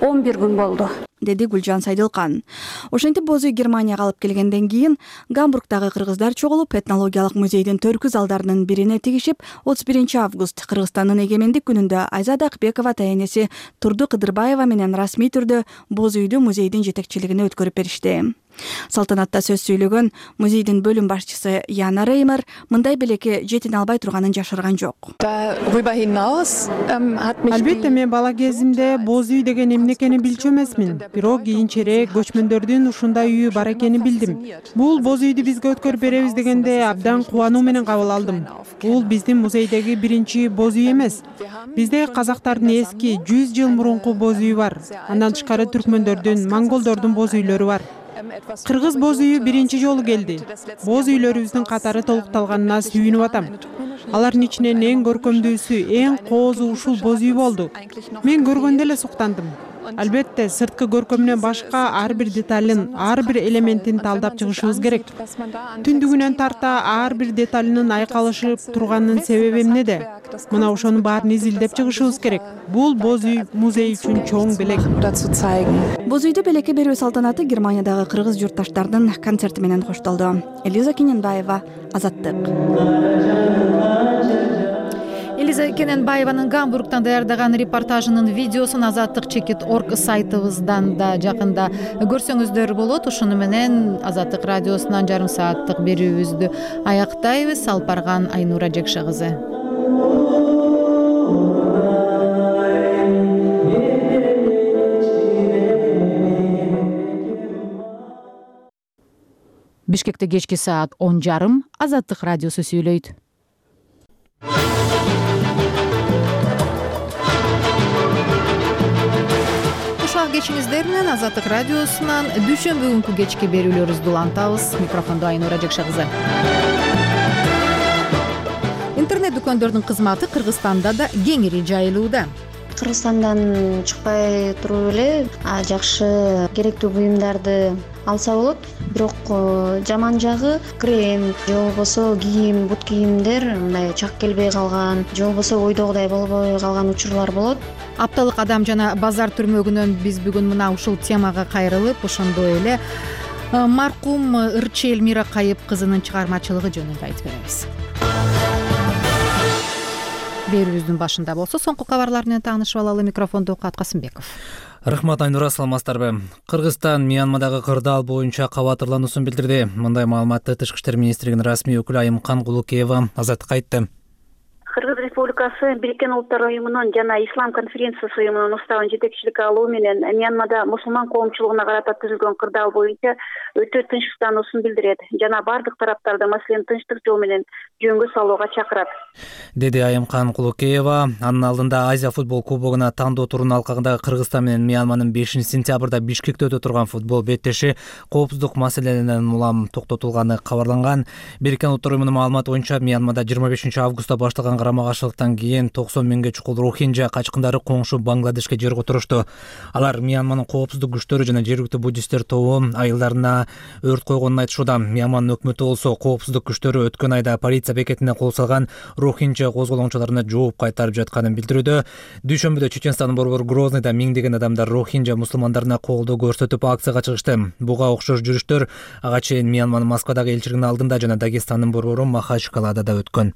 11 күн болду, деди Гүлжан Сайдылкан. Ошентип боз үй Германияга алып келгенден кийин Гамбургдагы кыргыздар чогулуп этнологиялык музейдин төркү залдарынын бирине тигишип, 31 август Кыргызстандын эгемендик күнүндө Айзада Акбекова тайенеси Турду Кыдырбаева менен расмий түрдө боз үйдү музейдин жетекчилигине өткөрүп беришти. Салтанатта сөз сүйлөгөн музейдин бөлүм башчысы Яна Реймер мындай белекке жетине албай турганын жашырган жок. Албетте мен бала кезимде боз үй деген эмне экенин билчү эмесмин. Бирок кийинчерээк көчмөндөрдүн ушундай үйү бар экенин билдим. Бул боз үйдү бизге өткөрүп беребиз дегенде абдан кубануу менен кабыл алдым. Бул биздин музейдеги биринчи боз үй эмес. Бизде казактардын эски 100 жыл мурунку боз үйү бар. Андан тышкары түркмөндөрдүн, монголдордун боз үйлөрү бар. Кыргыз боз үйү биринчи жолу келди. Боз үйлөрүбүздүн катары толукталганына сүйүнүп атам. Алардын ичинен эң көркөмдүүсү, эң коозу ушул боз үй болду. Мен көргөндө эле суктандым. Албетте сырткы көркөмүнөн башка ар бир деталын, ар бир элементин талдап чыгышыбыз керек. Түндүгүнөн тарта ар бир деталынын айкалышып турганынын себеби эмнеде? Мына ошонун баарын изилдеп чыгышыбыз керек. Бул боз үй музей үчүн чоң белек. Боз үйдө белекке берүү салтанаты Германиядагы кыргыз журтташтардын концерти менен коштолду. Элиза Кененбаева, Азаттык. Элиза Кененбаеванын Гамбургтан даярдаган репортажынын видеосун azattik.org сайтыбыздан да жакында көрсөңүздөр болот. Ушуну менен Азаттык радиосунан жарым сааттык берүүбүздү аяктайбыз. Алып барган Айнура Жекше кызы. Бишкекте кечки саат 10:30 Азаттык радиосу сүйлөйт. Ушак кечиңиздер менен Азаттык радиосунан дүйшөмбү күнкү кечки берүүлөрүбүздү улантабыз. Микрофондо Айнура Жекше кызы. Интернет дүкөндөрдүн кызматы Кыргызстанда да кеңири жайылууда. Кыргызстандан чыкпай туруп эле жакшы керектүү буюмдарды алса болот. Бирок жаман жагы крем же болбосо кийим, бут кийимдер мындай чак келбей калган, же болбосо ойдогудай болбой калган учурлар болот. Апталык адам жана базар түрмөгүнөн биз бүгүн мына ушул темага кайрылып, ошондой эле маркум ырчы Элмира Кайып кызынын чыгармачылыгы жөнүндө айтып беребиз. Берүүбүздүн башында болсо соңку кабарлар менен таанышып алалы. Микрофондо Окат Касымбеков. Рахмат Айнура, саламатсыздарбы? Кыргызстан Мьянмадагы кырдаал боюнча кабатырлануусун билдирди. Мындай маалыматты Тышкы иштер министрлигинин расмий өкүлү Айымкан Кулукеева Азаттыкка айтты. Кыргыз Республикасы Бириккен Улуттар уюмунун жана Ислам конференциясы уюмунун уставын жетекчилик алуу менен Мьянмада мусулман коомчулугуна карата түзүлгөн кырдаал боюнча өтө тынчсыздануусун билдирет жана бардык тараптарды маселени тынчтык жол менен жөнгө салууга чакырат, деди Айымкан Кулукеева. Анын алдында Азия футбол кубогуна тандоо турунун алкагында Кыргызстан менен Мьянманын 5-сентябрда Бишкекте өтө турган футбол беттеши коопсуздук маселелеринен улам токтотулганы кабарланган. Бириккен Улуттар уюмунун маалыматы боюнча Мьянмада 25-августта башталган карама-каршылыктан кийин 90 миңге чукул рохинжа качкындары коңшу Бангладешке жер отурушту. Алар Мьянманын коопсуздук күчтөрү жана жергиликтүү буддисттер тобу айылдарына өрт койгонун айтышууда. Мьянманын өкмөтү болсо коопсуздук күчтөрү өткөн айда полиция бекетине кол салган рохинжа козголоңчуларына жооп кайтарып жатканын билдирүүдө. Дүйшөмбүдө Чеченстандын борбору Грозныйда миңдеген адамдар рохинжа мусулмандарына колдоо көрсөтүп акцияга чыгышты. Буга окшош жүрүштөр ага чейин Мьянманын Москвадагы элчилигинин алдында жана Дагестандын борбору Махачкаладада өткөн.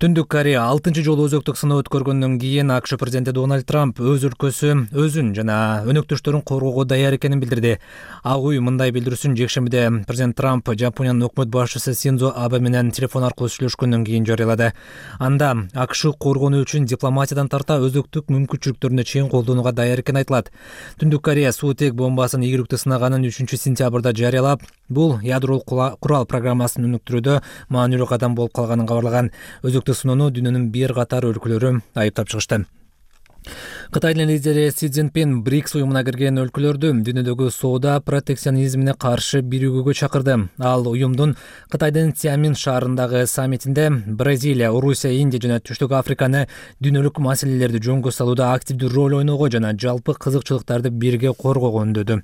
Түндүк Корея 6-чы жолу өзөктүк сыноо өткөргөндөн кийин АКШ президенти Дональд Трамп өз өлкөсү өзүн жана өнөктөштөрүн коргоого даяр экенин билдирди. Ак үй мындай билдирүүсүн жекшембиде президент Трамп Жапониянын өкмөт башчысы Синдзо Абе менен телефон аркылуу сүйлөшкөндөн кийин жарыялады. Анда АКШ коргонуу үчүн дипломатиядан тарта өзөктүк мүмкүнчүлүктөрүнө чейин колдонууга даяр экени айтылат. Түндүк Корея суутек бомбасын ийгиликтүү сынаганын 3-сентябрда жарыялап, бул ядролук курал программасын өнүктүрүүдө маанилүү кадам болуп калганын кабарлаган. Өзөктүк сыноону дүйнөнүн бир катар өлкөлөрү айыптап чыгышты. Кытайдын лидери Си Цзиньпин БРИКС уюмуна кирген өлкөлөрдү дүйнөдөгү соода протекционизмине каршы биригүүгө чакырды. Ал уюмдун Кытайдын Цзямин шаарындагы саммитинде Бразилия, Орусия, Индия жана Түштүк Африканы дүйнөлүк маселелерди жөнгө салууда активдүү роль ойноого жана жалпы кызыкчылыктарды бирге коргоого үндөдү.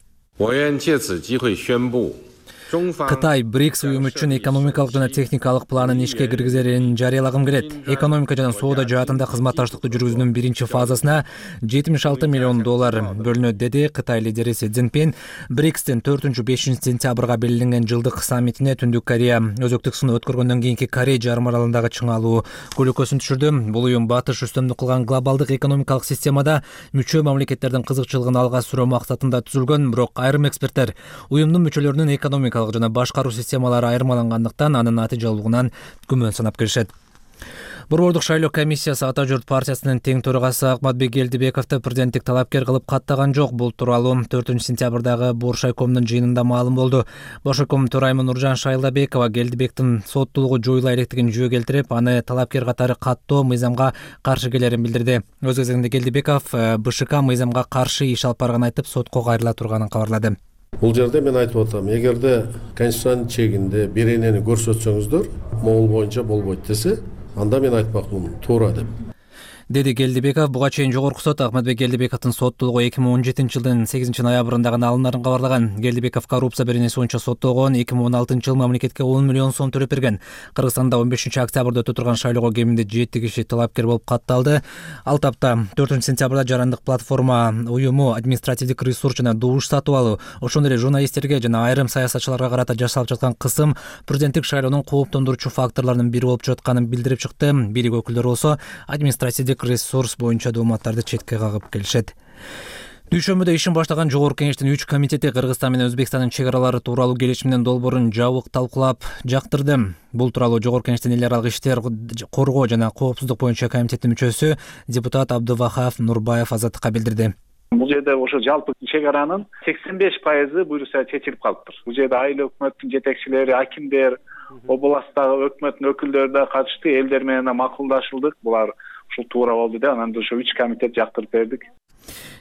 Кытай БРИКС уюму үчүн экономикалык жана техникалык планын ишке киргизерин жарыялагым келет. Экономика жана соода жаатында кызматташтыкты жүргүзүүнүн биринчи фазасына $76 миллион бөлүнөт, деди Кытай лидери Си Цзиньпин. БРИКСтин 4-5 сентябрга белгиленген жылдык саммитине Түндүк Корея өзөктүк сыноо өткөргөндөн кийинки Корей жарым аралындагы чыңалуу көлөкөсүн түшүрдү. Бул уюм батыш үстөмдүк кылган глобалдык экономикалык системада мүчө мамлекеттердин кызыкчылыгын алга сүрөө максатында түзүлгөн, бирок айрым эксперттер уюмдун мүчөлөрүнүн экономикалык жана башкаруу системалары айырмалангандыктан анын натыйжалуулугунан күмөн санап келишет. Борбордук шайлоо комиссиясы Ата журт партиясынын тең төрагасы Акматбек Келдибековду президенттик талапкер кылып каттаган жок. Бул тууралуу 4-сентябрдагы Боршайкомдун жыйынында маалым болду. Боршайком төрайымы Нуржан Шайлабекова Келдибектин соттуулугу жоюла электигин жөө келтирип, аны талапкер катары каттоо мыйзамга каршы келерин билдирди. Өз кезегинде Келдибеков БШК мыйзамга каршы иш алып барганын айтып, сотко кайрыла турганын кабарлады. Бул жерде мен айтып атам, эгерде конституциянын чегинде беренени көрсөтсөңүздөр, могул боюнча болбойт десе, анда мен айтмакмын туура деп. деди Келдибеков. Буга чейин жогорку сот Ахматбек Келдибековдун соттолугу 2017 жылдын 8-ноябрында гана алынарын кабарлаган. Келдибеков коррупция беренеси боюнча соттолгон. 2016 жылы мамлекетке 10 миллион сом төлөп берген. Кыргызстанда 15 октябрда өтө турган шайлоого кеминде 7 киши талапкер болуп катталды. Ал тапта 4 сентябрда жарандык платформа уюму административдик ресурс жана добуш сатып алуу, ошондой эле журналисттерге жана айрым саясатчыларга карата жасалып жаткан кысым президенттик шайлоонун кооптондуруучу факторлорунун бири болуп жатканын билдирип чыкты. Бийлик өкүлдөрү болсо административдик ресурс боюнча дооматтарды четке кагып келишет. Дүйшөмбүдө ишин баштаган жогорку кеңештин 3 комитети Кыргызстан менен Өзбекстандын чек аралары тууралуу келишимдин долбоорун жабык талкуулап жактырды. Бул тууралуу жогорку кеңештин эл аралык иштер коргоо жана коопсуздук боюнча комитеттин мүчөсү депутат Абдувахап Нурбаев Азаттыкка билдирди. Бул жерде ошо жалпы чек аранын 85% буюрса чечилип калыптыр. Бул жерде айыл өкмөттүн жетекчилери, акимдер, областтагы өкмөттүн өкүлдөрү да катышты, элдер менен макулдашылдык. Булар ушул туура болду деп, анан ошо 3 комитет жактырып бердик,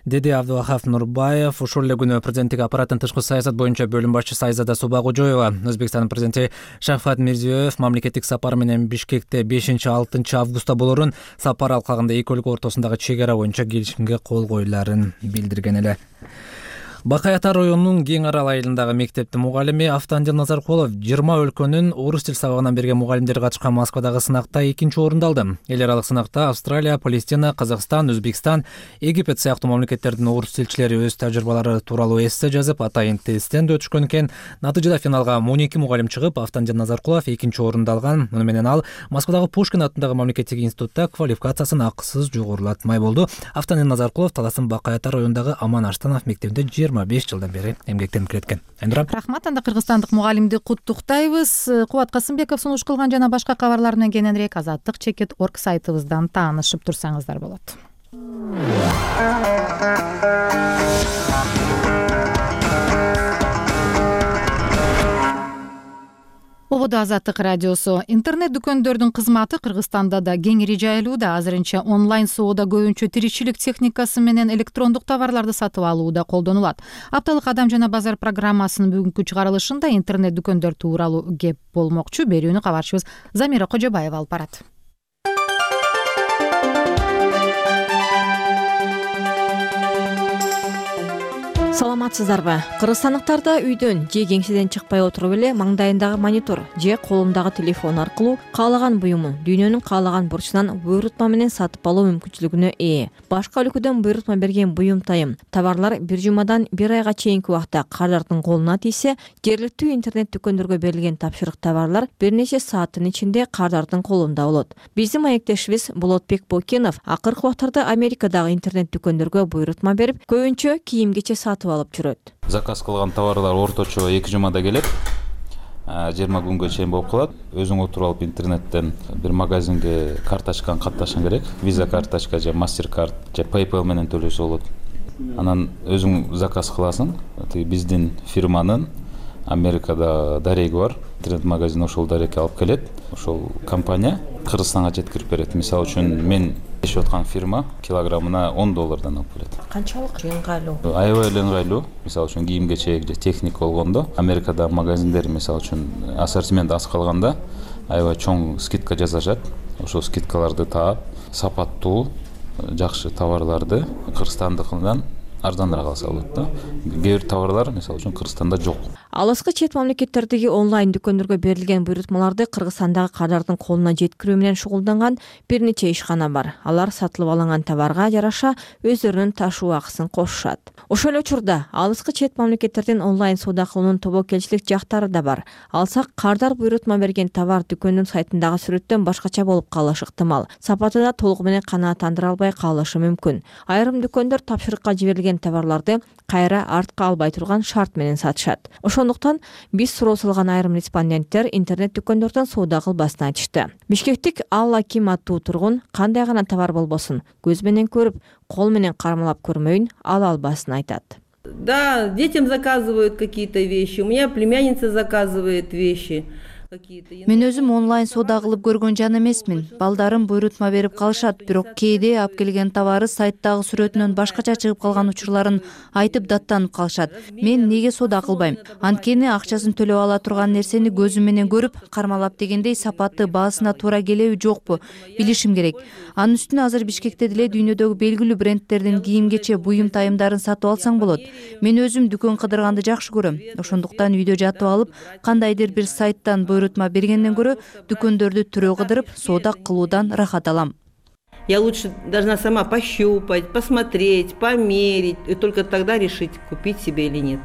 деди Абдувахап Нурбаев. Ошол эле күнү президенттик аппараттын тышкы саясат боюнча бөлүм башчысы Айзада Субагожоева Өзбекстандын президенти Шавкат Мирзиёев мамлекеттик сапар менен Бишкекте 5-6 августта болорун, сапар алкагында эки өлкө ортосундагы чек ара боюнча келишимге кол коюларын билдирген эле. Бакай Ата районунун Кең Арал айылындагы мектептин мугалими Автандил Назаркулов 20 өлкөнүн орус тил сабагынан берген мугалимдери катышкан Москвадагы сынакта 2-нчи орунду алды. Эл аралык сынакта Австралия, Палестина, Казакстан, Өзбекстан, Египет сыяктуу мамлекеттердин орус тилчилери өз тажрыйбалары тууралуу эссе жазып, атайын тесттен да өтүшкөн экен. Натыйжада финалга 12 мугалим чыгып, Автандил Назаркулов 2-нчи орунду алган. Муну менен ал Москвадагы Пушкин атындагы мамлекеттик институтта квалификациясын акысыз жогорулатмай болду. Автандил Назаркулов Таластын Бакай Ата районундагы Аман Аштанов мектебинде 25 жылдан бери эмгектенип келеткен. Рахмат. Анда кыргызстандык мугалимди куттуктайбыз. Кубат Касымбеков сунуш кылган жана башка кабарлар менен кененирээк azattik.org сайтыбыздан таанышып турсаңыздар болот. Ободо Азаттык радиосу. Интернет дүкөндөрдүн кызматы Кыргызстанда да кеңири жайылууда. Азырынча онлайн соода көбүнчө тиричилик техникасы менен электрондук товарларды сатып алууда колдонулат. Апталык Адам жана базар программасынын бүгүнкү чыгарылышында интернет дүкөндөр тууралуу кеп болмокчу. Берүүнү кабарчыбыз Замира Кожобаева алып барат. Саламатсыздарбы? Кыргызстандыктарда үйдөн же кеңседен чыкпай отуруп эле маңдайындагы монитор же колундагы телефон аркылуу каалаган буюмун дүйнөнүн каалаган бурчунан буйрутма менен сатып алуу мүмкүнчүлүгүнө ээ. Башка өлкөдөн буйрутма берген буюм тайым товарлар бир жумадан бир айга чейинки убакта кардардын колуна тийсе, жергиликтүү интернет дүкөндөргө берилген тапшырык товарлар бир нече сааттын ичинде кардардын колунда болот. Биздин маектешибиз Болотбек Бокенов акыркы убактарда Америкадагы интернет дүкөндөргө буйрутма берип, көбүнчө кийим-кече сатып алып жүрөт. Заказ кылган товарлар орточо 2 жумада келет. 20 күнгө чейин болуп калат. Өзүң отуруп алып интернеттен бир магазинге карточканы катташың керек. Visa карточка же MasterCard же PayPal менен төлөсө болот. Анан өзүң заказ кыласың. Биздин фирманын Америкада дареги бар. Интернет магазин ошол дарекке алып келет. Ошол компания Кыргызстанга жеткирип берет. Мисалы үчүн мен ишеп аткан фирма килограммына $10 алып келет. Канчалык ыңгайлуу? Аябай эле ыңгайлуу. Мисалы үчүн кийим-кечек же техника болгондо, Америкада магазиндер мисалы үчүн ассортимент аз калганда аябай чоң скидка жасашат. Ошол скидкаларды таап, сапаттуу, жакшы товарларды Кыргызстандыкынан арзаныраак алса болот да. Кээ бир товарлар мисалы үчүн Кыргызстанда жок. Алыскы чет мамлекеттердеги онлайн дүкөндөргө берилген буйрутмаларды Кыргызстандагы кардардын колуна жеткирүү менен шугулданган бир нече ишкана бар. Алар сатылып алынган товарга жараша өздөрүнүн ташуу акысын кошушат. Ошол эле учурда алыскы чет мамлекеттердин онлайн соода кылуунун тобокелчилик жактары да бар. Алсак кардар буйрутма берген товар дүкөндүн сайтындагы сүрөттөн башкача болуп калышы ыктымал. Сапаты да толугу менен канааттандыра албай калышы мүмкүн. Айрым дүкөндөр тапшырыкка жиберилген товарларды кайра артка албай турган шарт менен сатышат. Ошондуктан биз суроо салган айрым респонденттер интернет дүкөндөрдөн соода кылбасын айтышты. Бишкектик Алла Ким аттуу тургун кандай гана товар болбосун көз менен көрүп, кол менен кармалап көрмөйүн ала албасын айтат. Да, детям заказывают какие-то вещи. У меня племянница заказывает вещи. Мен өзүм онлайн соода кылып көргөн жан эмесмин. Балдарым буйрутма берип калышат, бирок кээде алып келген товары сайттагы сүрөтүнөн башкача чыгып калган учурларын айтып даттанып калышат. Мен эмнеге соода кылбайм? Анткени акчасын төлөп ала турган нерсени көзүм менен көрүп, кармалап дегендей сапаты баасына туура келеби жокпу билишим керек. Анын үстүнө азыр Бишкекте деле дүйнөдөгү белгилүү брендтердин кийим-кече, буюм тайымдарын сатып алсаң болот. Мен өзүм дүкөн кыдырганды жакшы көрөм. Ошондуктан үйдө жатып алып, кандайдыр бир сайттан буйрутма бергенден көрө дүкөндөрдү түрө кыдырып соода кылуудан рахат алам. Я лучше должна сама пощупать, посмотреть, померить и только тогда решить, купить себе или нет.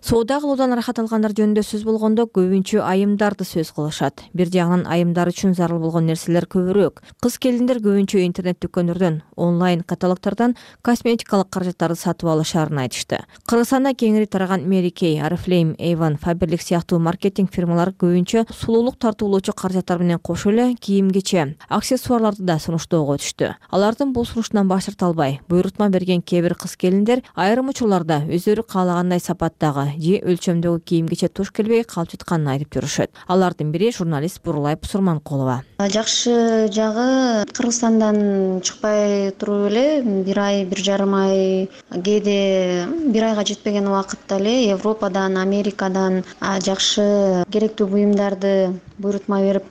Соода кылуудан рахат алгандар жөнүндө сөз болгондо көбүнчө айымдарды сөз кылышат. Бир жагынан айымдар үчүн зарыл болгон нерселер көбүрөөк. Кыз келиндер көбүнчө интернет дүкөндөрдөн, онлайн каталогтордон косметикалык каражаттарды сатып алышаарын айтышты. Кыргызстанда кеңири тараган Mary Kay, Oriflame, Avon, Faberlic сыяктуу маркетинг фирмалары көбүнчө сулуулук тартуулоочу каражаттар менен кошо эле кийим-кече, аксессуарларды да сунуштоого өтүштү. Алардын бул сунуштан баш тарта албай, буйрутма берген кээ бир кыз келиндер айрым учурларда өздөрү каалагандай сапаттагы же өлчөмдөгү кийим-кече туш келбей калып жатканын айтып жүрүшөт. Алардын бири журналист Бурулай Сурманкулова. Жакшы жагы Кыргызстандан чыкпай туруп эле бир ай, 1,5 ай, кээде 1 айга жетпеген убакытта эле Европадан, Америкадан жакшы керектүү буюмдарды буйрутма берип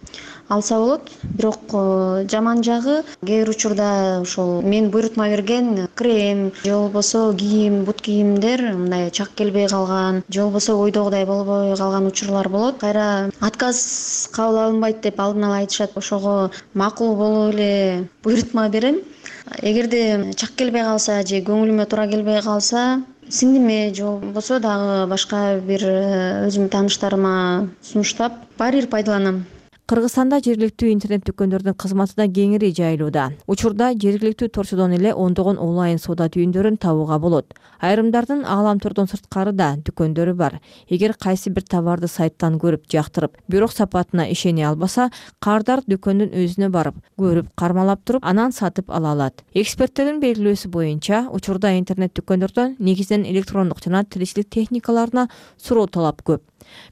алса болот. Бирок жаман жагы кээ бир учурда ошол мен буйрутма берген крем же болбосо кийим, бут кийимдер мындай чак келбей калган, же болбосо ойдогудай болбой калган учурлар болот. Кайра отказ кабыл алынбайт деп алдын ала айтышат. Ошого макул болуп эле буйрутма берем. Эгерде чак келбей калса же көңүлүмө туура келбей калса, сиңдиме же болбосо дагы башка бир өзүмдүн тааныштарыма сунуштап баары бир пайдаланам. Кыргызстанда жергиликтүү интернет дүкөндөрдүн кызматы да кеңири жайылууда. Учурда жергиликтүү торчодон эле ондогон онлайн соода түйүндөрүн табууга болот. Айрымдардын ааламтордон сырткары да дүкөндөрү бар. Эгер кайсы бир товарды сайттан көрүп, жактырып, бирок сапатына ишене албаса, кардар дүкөндүн өзүнө барып, көрүп, кармалап туруп, анан сатып ала алат. Эксперттердин белгилөөсү боюнча, учурда интернет дүкөндөрдөн негизинен электрондук жана тиричилик техникаларына суроо талап көп.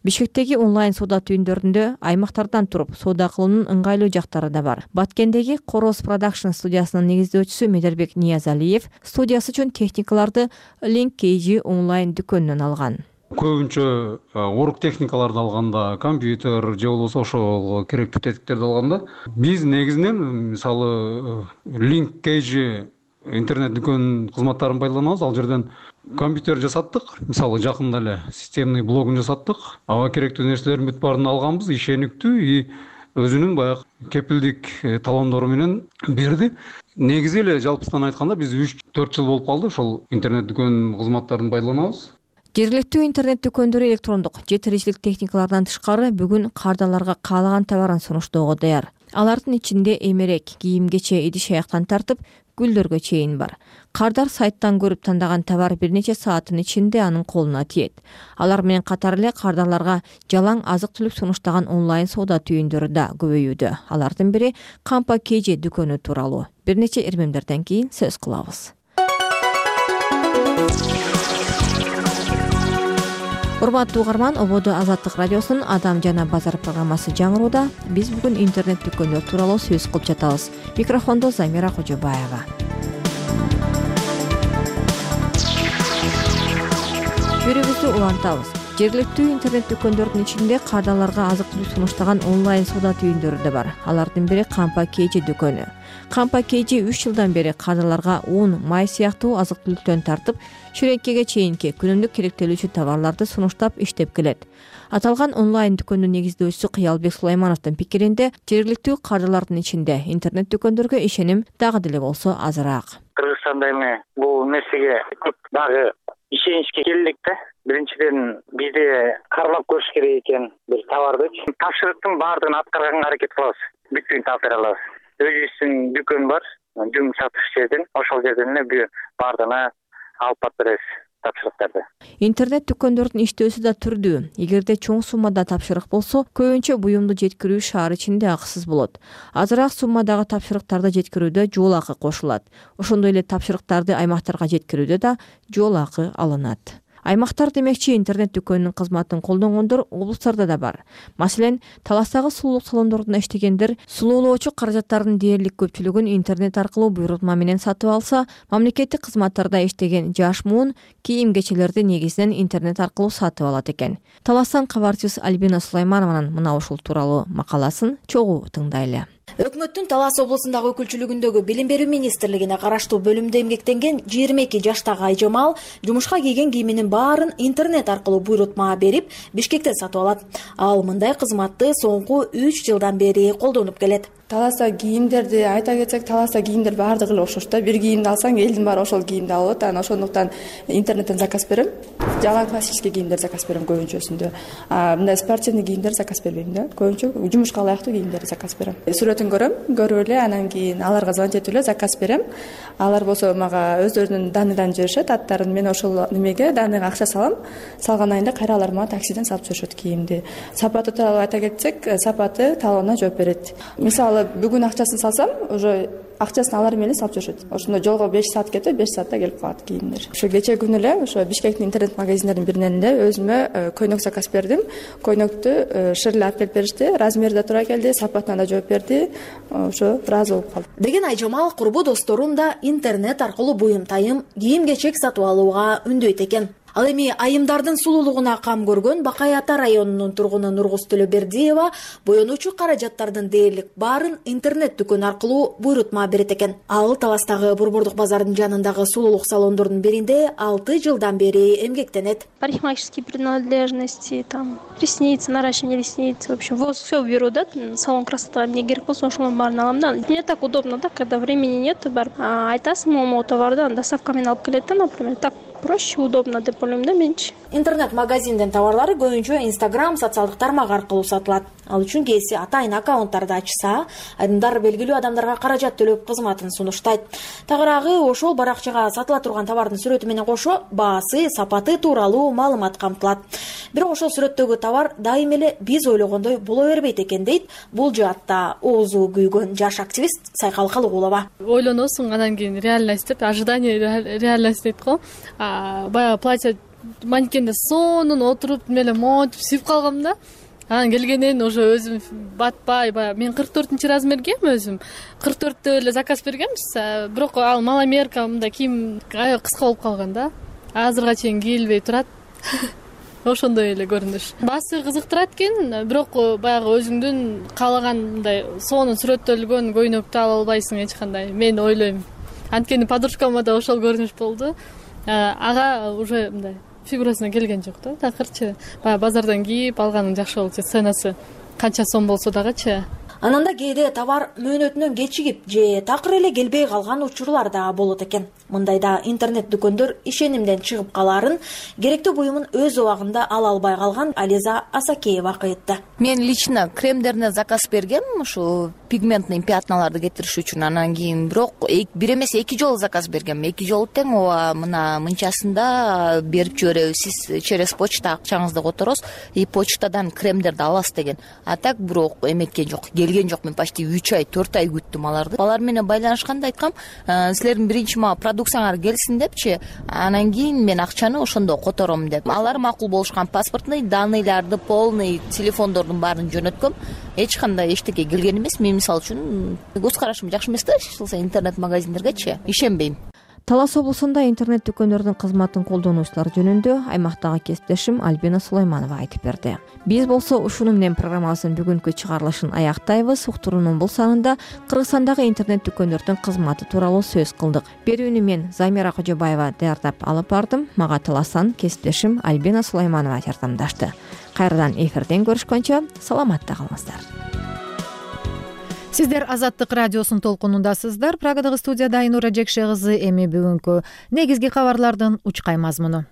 Бишкектеги онлайн соода түйүндөрүндө аймактардан туруп соода кылуунун ыңгайлуу жактары да бар. Баткендеги Короз Production студиясынын негиздөөчүсү Медербек Ниязалиев студиясы үчүн техникаларды Link KG онлайн дүкөнүнөн алган. Көбүнчө орук техникаларды алганда, компьютер же болбосо ошол керектүү тетиктерди алганда, биз негизинен мисалы Link KG интернет дүкөн кызматтарын пайдаланабыз. Ал жерден компьютер жасаттык, мисалы жакында эле системный блогун жасаттык. Аба керектүү нерселердин бүт баарын алганбыз, ишениктүү и өзүнүн баягы кепилдик талондору менен берди. Негизи эле жалпысынан айтканда биз 3-4 жыл болуп калды ошол интернет дүкөн кызматтарын пайдаланабыз. Жергиликтүү интернет дүкөндөрү электрондук же тиричилик техникалардан тышкары бүгүн кардарларга каалаган товарын сунуштоого даяр. Алардын ичинде эмерек, кийим-кече, идиш-аяктан тартып гүлдөргө чейин бар. Кардар сайттан көрүп тандаган товар бир нече сааттын ичинде анын колуна тиет. Алар менен катар эле кардарларга жалаң азык-түлүк сунуштаган онлайн соода түйүндөрү да көбөйүүдө. Алардын бири Кампа KG дүкөнү тууралуу. Бир нече ирмемдерден кийин сөз кылабыз. Урматтуу угарман, Ободо Азаттык радиосунун Адам жана базар программасы жаңырууда. Биз бүгүн интернет дүкөндөр тууралуу сөз кылып жатабыз. Микрофондо Замира Кожобаева. Берүүбүздү улантабыз. Жергиликтүү интернет дүкөндөрдүн ичинде кардарларга азык-түлүк сунуштаган онлайн соода түйүндөрү да бар. Алардын бири Кампа KG дүкөнү. Кампа KG 3 жылдан бери кардарларга ун, май сыяктуу азык-түлүктөн тартып, шүрөккеге чейинки күнүмдүк керектелүүчү товарларды сунуштап иштеп келет. Аталган онлайн дүкөндүн негиздөөчүсү Кыялбек Сулаймановдун пикиринде, жергиликтүү кардарлардын ичинде интернет дүкөндөргө ишеним дагы деле болсо азыраак. Кыргызстанда эми бул нерсеге көп дагы ишеничке келдик да. Биринчиден бизде кармап көрүш керек экен бир товарды. Тапшырыктын баардыгын аткарганга аракет кылабыз. Бүткүн тапшыра алабыз. Өзүбүздүн дүкөн бар, жүн сатыш жерден, ошол жерден эле баардыгына алып барып беребиз тапшырыктарды. Интернет дүкөндөрдүн иштөөсү да түрдүү. Эгерде чоң суммада тапшырык болсо, көбүнчө буюмду жеткирүү шаар ичинде акысыз болот. Азыраак суммадагы тапшырыктарды жеткирүүдө жол акы кошулат. Ошондой эле тапшырыктарды аймактарга жеткирүүдө да жол акы алынат. Аймактар демекчи интернет дүкөнүнүн кызматын колдонгондор облустарда да бар. Маселен, Таластагы сулуулук салондорунда иштегендер сулуулоочу каражаттардын дээрлик көпчүлүгүн интернет аркылуу буйрутма менен сатып алса, мамлекеттик кызматтарда иштеген жаш муун кийим-кечелерди негизинен интернет аркылуу сатып алат экен. Таластан кабарчыбыз Альбина Сулайманованын мына ушул тууралуу макаласын чогуу тыңдайлы. Өкмөттүн Талас облусундагы өкүлчүлүгүндөгү Билим берүү министрлигине караштуу бөлүмдө эмгектенген 22 жаштагы Айжамал жумушка кийген кийиминин баарын интернет аркылуу буйрутма берип, Бишкектен сатып алат. Ал мындай кызматты соңку 3 жылдан бери колдонуп келет. Таласта кийимдерди айта кетсек, Таласта кийимдер баардыгы эле окшош да. Бир кийимди алсаң, элдин баары ошол кийимди алып атат. Ошондуктан интернеттен заказ берем. Жана классический кийимдер заказ берем көбүнчөсүндө. Мындай спортивный кийимдер заказ бербейм да. Көбүнчө жумушка ылайыктуу кийимдерди заказ берем. Сүрөтүн көрүп эле, анан кийин аларга звонить этип эле заказ берем. Алар болсо мага өздөрүнүн данныйларын жиберишет, аттарын. Мен ошол немеге данныйга акча салам. Салгандан кийин кайра алар мага таксиден салып жиберишет кийимди. Сапаты тууралуу айта кетсек, сапаты талабына жооп берет. Мисалы, бүгүн акчасын салсам, уже акчасын алар менен салып жүрүшөт. Ошондо жолго 5 саат кетип, 5 саатта келип калат кийимдер. Ошо кече күнү эле ошо Бишкектин интернет магазиндеринин биринен эле өзүмө көйнөк заказ бердим. Көйнөктү ширле алып келип беришти. Размери да туура келди, сапатына да жооп берди. Ошо ыраазы болуп калдым. Деген Айжамал курбу досторун да интернет аркылуу буюм-тайым, кийим-кечек сатып алууга үндөйт экен. Ал эми айымдардын сулуулугуна кам көргөн Бакай Ата районунун тургуну Нургуз Төлөбердиева боенуучу каражаттардын дээрлик баарын интернет дүкөн аркылуу буйрутма берет экен. Ал Таластагы Борбордук базардын жанындагы сулуулук салондордун биринде 6 жылдан бери эмгектенет. Парикмахерские принадлежности, там ресницы, наращивание ресниц, в общем, все беру, да, салон красоты мне керек болсо ошонун баарын алам да. Мне так удобно, да, когда времени нет, барып айтасың могу товарды доставка менен алып келет да, например, так проще, удобно деп ойлойм да менчи. Интернет-магазиндин товарлары көбүнчө Instagram социалдык тармак аркылуу сатылат. Ал үчүн кээси атайын аккаунттарды ачса, айдымдар белгилүү адамдарга каражат төлөп кызматын сунуштайт. Тагыраагы ошол баракчага сатыла турган товардын сүрөтү менен кошо баасы, сапаты тууралуу маалымат камтылат. Бирок ошол сүрөттөгү товар дайым эле биз ойлогондой боло бербейт экен дейт бул жаатта оозу күйгөн жаш активист Сайкал Калыгулова. Ойлоносуң, анан кийин реальность деп, ожидание реальность дейт го. Баягы платье манекенде сонун отуруп эле монтип сүйүп калгам да. Анан келгенден уже өзүм батпай, баягы мен 44 размергем өзүм. 44тө эле заказ бергембиз, бирок ал маломерка мындай кийим аябай кыска болуп калган да. Азырга чейин кийилбей турат. Ошондой эле көрүнүш. Баасы кызыктырат экен, бирок баягы өзүңдүн каалагандай сонун сүрөттөлгөн көйнөктү ала албайсың эч кандай. Мен ойлойм. Анткени подружкама да ошол көрүнүш болду. Ага уже мындай фигурасына келген жок да. Такырчы баягы базардан кийип алганың жакшы болчу. Ценасы канча сом болсо дагычы. Ананда кээде товар мөөнөтүнөн кечигип же такыр эле келбей калган учурлар да болот экен. Мындайда интернет дүкөндөр ишенимден чыгып калаарын керектүү буюмун өз убагында ала албай калган Ализа Асакеева айтты. Мен лично кремдерине заказ бергем, ушу пигментный пятналарды кетириш үчүн. Анан кийин бирок бир эмес 2 жолу заказ бергем. 2 жолу тең ооба мына мынчасында берип жиберебиз. Сиз через почта акчаңызды которосуз и почтадан кремдерди аласыз деген. А так бирок эметкен жок. Келген жок. Мен почти 3 ай, 4 ай күттүм аларды. Алар менен байланышканда айткам, силердин биринчи мага продукцияңар келсин депчи, анан кийин мен акчаны ошондо котором деп. Алар макул болушкан, паспортный данныйларды, полный телефондордун баарын жөнөткөм. Эч кандай эчтеке келген эмес. Мен мисалы үчүн көз карашым жакшы эмес да, интернет магазиндергечи ишенбейм. Талас облусунда интернет дүкөндөрдүн кызматын колдонуучулар жөнүндө аймактагы кесиптешим Альбина Сулайманова айтып берди. Биз болсо ушуну менен программабыздын бүгүнкү чыгарылышын аяктайбыз. Уктуруунун бул санында Кыргызстандагы интернет дүкөндөрдүн кызматы тууралуу сөз кылдык. Берүүнү мен Замира Кожобаева даярдап алып бардым. Мага Таластан кесиптешим Альбина Сулайманова жардамдашты. Кайрадан эфирден көрүшкөнчө саламатта калыңыздар. Сиздер Азаттык радиосунун толкунундасыздар. Прагадагы студияда Айнура Жекше кызы. Эми бүгүнкү негизги кабарлардын учкай мазмуну.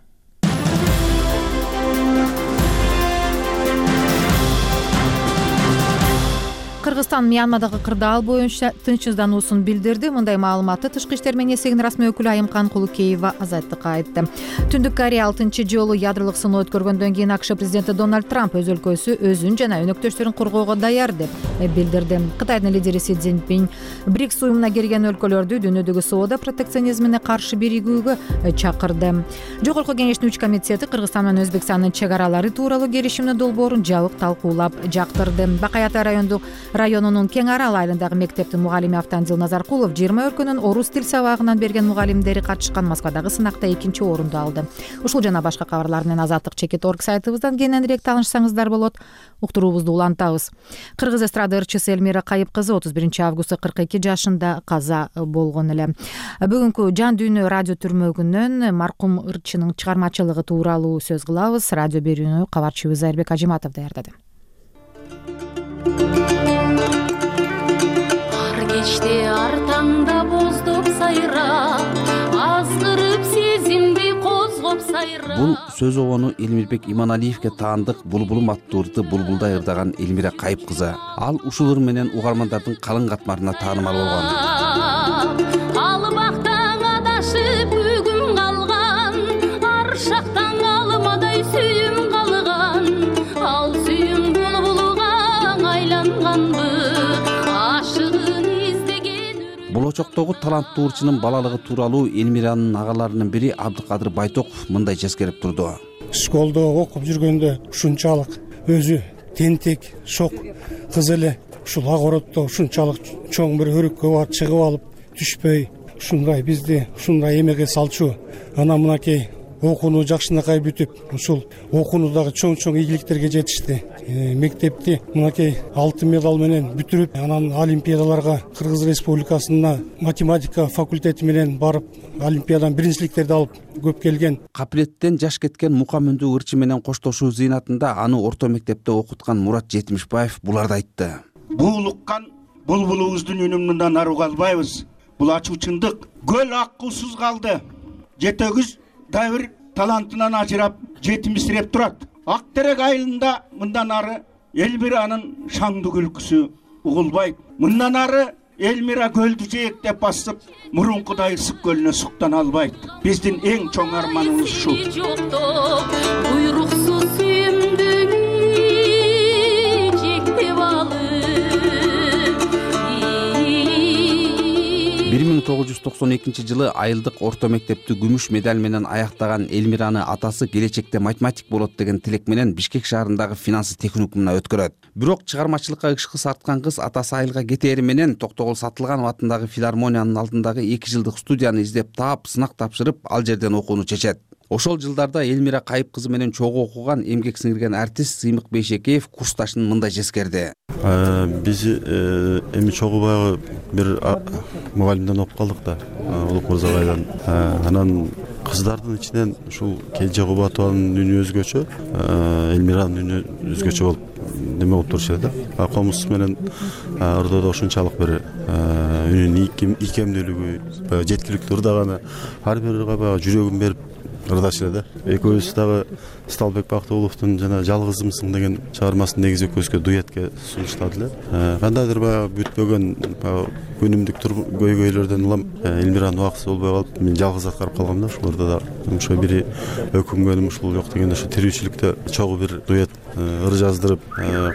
Кыргызстан Мьянмадагы кырдаал боюнча тынчсыздануусун билдирди. Мындай маалыматты Тышкы иштер министрлигинин расмий өкүлү Айымкан Кулукеева Азаттыкка айтты. Түндүк Корея 6 жолу ядролук сыноо өткөргөндөн кийин АКШ президенти Дональд Трамп өз өлкөсү өзүн жана өнөктөштөрүн коргоого даяр деп билдирди. Кытайдын лидери Си Цзиньпин БРИКС уюмуна кирген өлкөлөрдү дүйнөдөгү соода протекционизмине каршы биригүүгө чакырды. Жогорку кеңештин 3 комитети Кыргызстан менен Өзбекстандын чек аралары тууралуу келишимдин долбоорун жабык талкуулап жактырды. Бакай Ата районунун Кең Арал айылындагы мектептин мугалими Автандил Назаркулов 20 өлкөнүн орус тил сабагынан берген мугалимдери катышкан Москвадагы сынакта 2-орунду алды. Ушул жана башка кабарлар менен Азаттык.org сайтыбыздан кененирээк таанышсаңыздар болот. Уктуруубузду улантабыз. Кыргыз эстрада ырчысы Элмира Кайып кызы 31-августта 42 жашында каза болгон эле. Бүгүнкү жан дүйнө радио түрмөгүнөн маркум ырчынын чыгармачылыгы тууралуу сөз кылабыз. Радио берүүнү кабарчыбыз Айрбек Ажиматов даярдады. Ар кечте ар таңда боздоп сайра, азгырып сезимди козгоп сайра. Бул сөз обону Элмирбек Иманалиевге таандык Булбулум аттуу ырды булбулдай ырдаган Элмира Кайып кызы. Ал ушул ыр менен угармандардын калың катмарына таанымал болгон. Албактан адашып бүгүн калган, аршактан алмадай сүйүм калган. Ал сүйүм булбулуга айланганбы, ашыгын издеген. Болочоктогу таланттуу ырчынын балалыгы тууралуу Элмиранын агаларынын бири Абдыкадыр Байтоков мындай жескерип турду. Школдо окуп жүргөндө ушунчалык өзү тентек, шок кыз эле ушул огороддо ушунчалык чоң бир өрүккө барып чыгып алып түшпөй, ушундай бизди ушундай эмеге салчу. Анан мынакей окууну жакшынакай бүтүп, ушул окуунудагы чоң ийгиликтерге жетишти. Мектепти мынакей алтын медал менен бүтүрүп, анан олимпиадаларга Кыргыз Республикасына математика факультети менен барып, олимпиадан биринчиликтерди алып көп келген. Капилеттен жаш кеткен мукамүндүү ырчы менен коштошуу зыйнатында аны орто мектепте окуткан Мурат Жетимишбаев буларды айтты. Буулуккан булбулубуздун үнүн мындан ары уга албайбыз. Бул ачуу чындык. Көл аккусуз калды. Жетөгүз дайыр талантынан ажырап, жетимсиреп турат. Актерек айылында мындан ары Элмиранын шаңдуу күлкүсү угулбайт. Мындан ары Элмира көлдү жээктеп басып, мурункудай ысык көлүнө суктана албайт. Биздин эң чоң арманыбыз ушул. Буйруксуз сүйүмдүн жектеп алып. 1992-жылы айылдык орто мектепти күмүш медаль менен аяктаган Элмираны атасы келечекте математик болот деген тилек менен Бишкек шаарындагы финансы техникумуна өткөрөт. Бирок чыгармачылыкка ышкы арткан кыз атасы айылга кетери менен Токтогул Сатылганов атындагы филармониянын алдындагы 2 жылдык студияны издеп таап, сынак тапшырып, ал жерден окууну чечет. Ошол жылдарда Элмира Кайып кызы менен чогуу окуган, эмгек сиңирген артист Сыймык Бейшекеев курсташын мындай жескерди. Биз эми чогуу баягы бир мугалимден окуп калдык да, Улук Мырзабайдан. Анан кыздардын ичинен ушул Келже Кубатованын үнү өзгөчө, Элмиранын үнү өзгөчө болуп неме болуп турчу да. Комуз менен ырдоодо ушунчалык бир үнүнүн ийкемдүүлүгү, жеткиликтүү ырдаганы ар бир ырга баягы жүрөгүн берип ырдачу эле да. Экөөбүз дагы Сталбек Бактыгуловдун жана Жалгызымсың деген чыгармасын негизи экөөбүзгө дуэтке сунуштады эле. Кандайдыр баягы бүтпөгөн күнүмдүк көйгөйлөрдөн улам Элмиранын убактысы болбой калып, мен жалгыз аткарып калгам да. Ушуларда да ошо бири өкүнгөнүм ушул жок дегенде ошо тирүүчүлүктө чогуу бир дуэт ыр жаздырып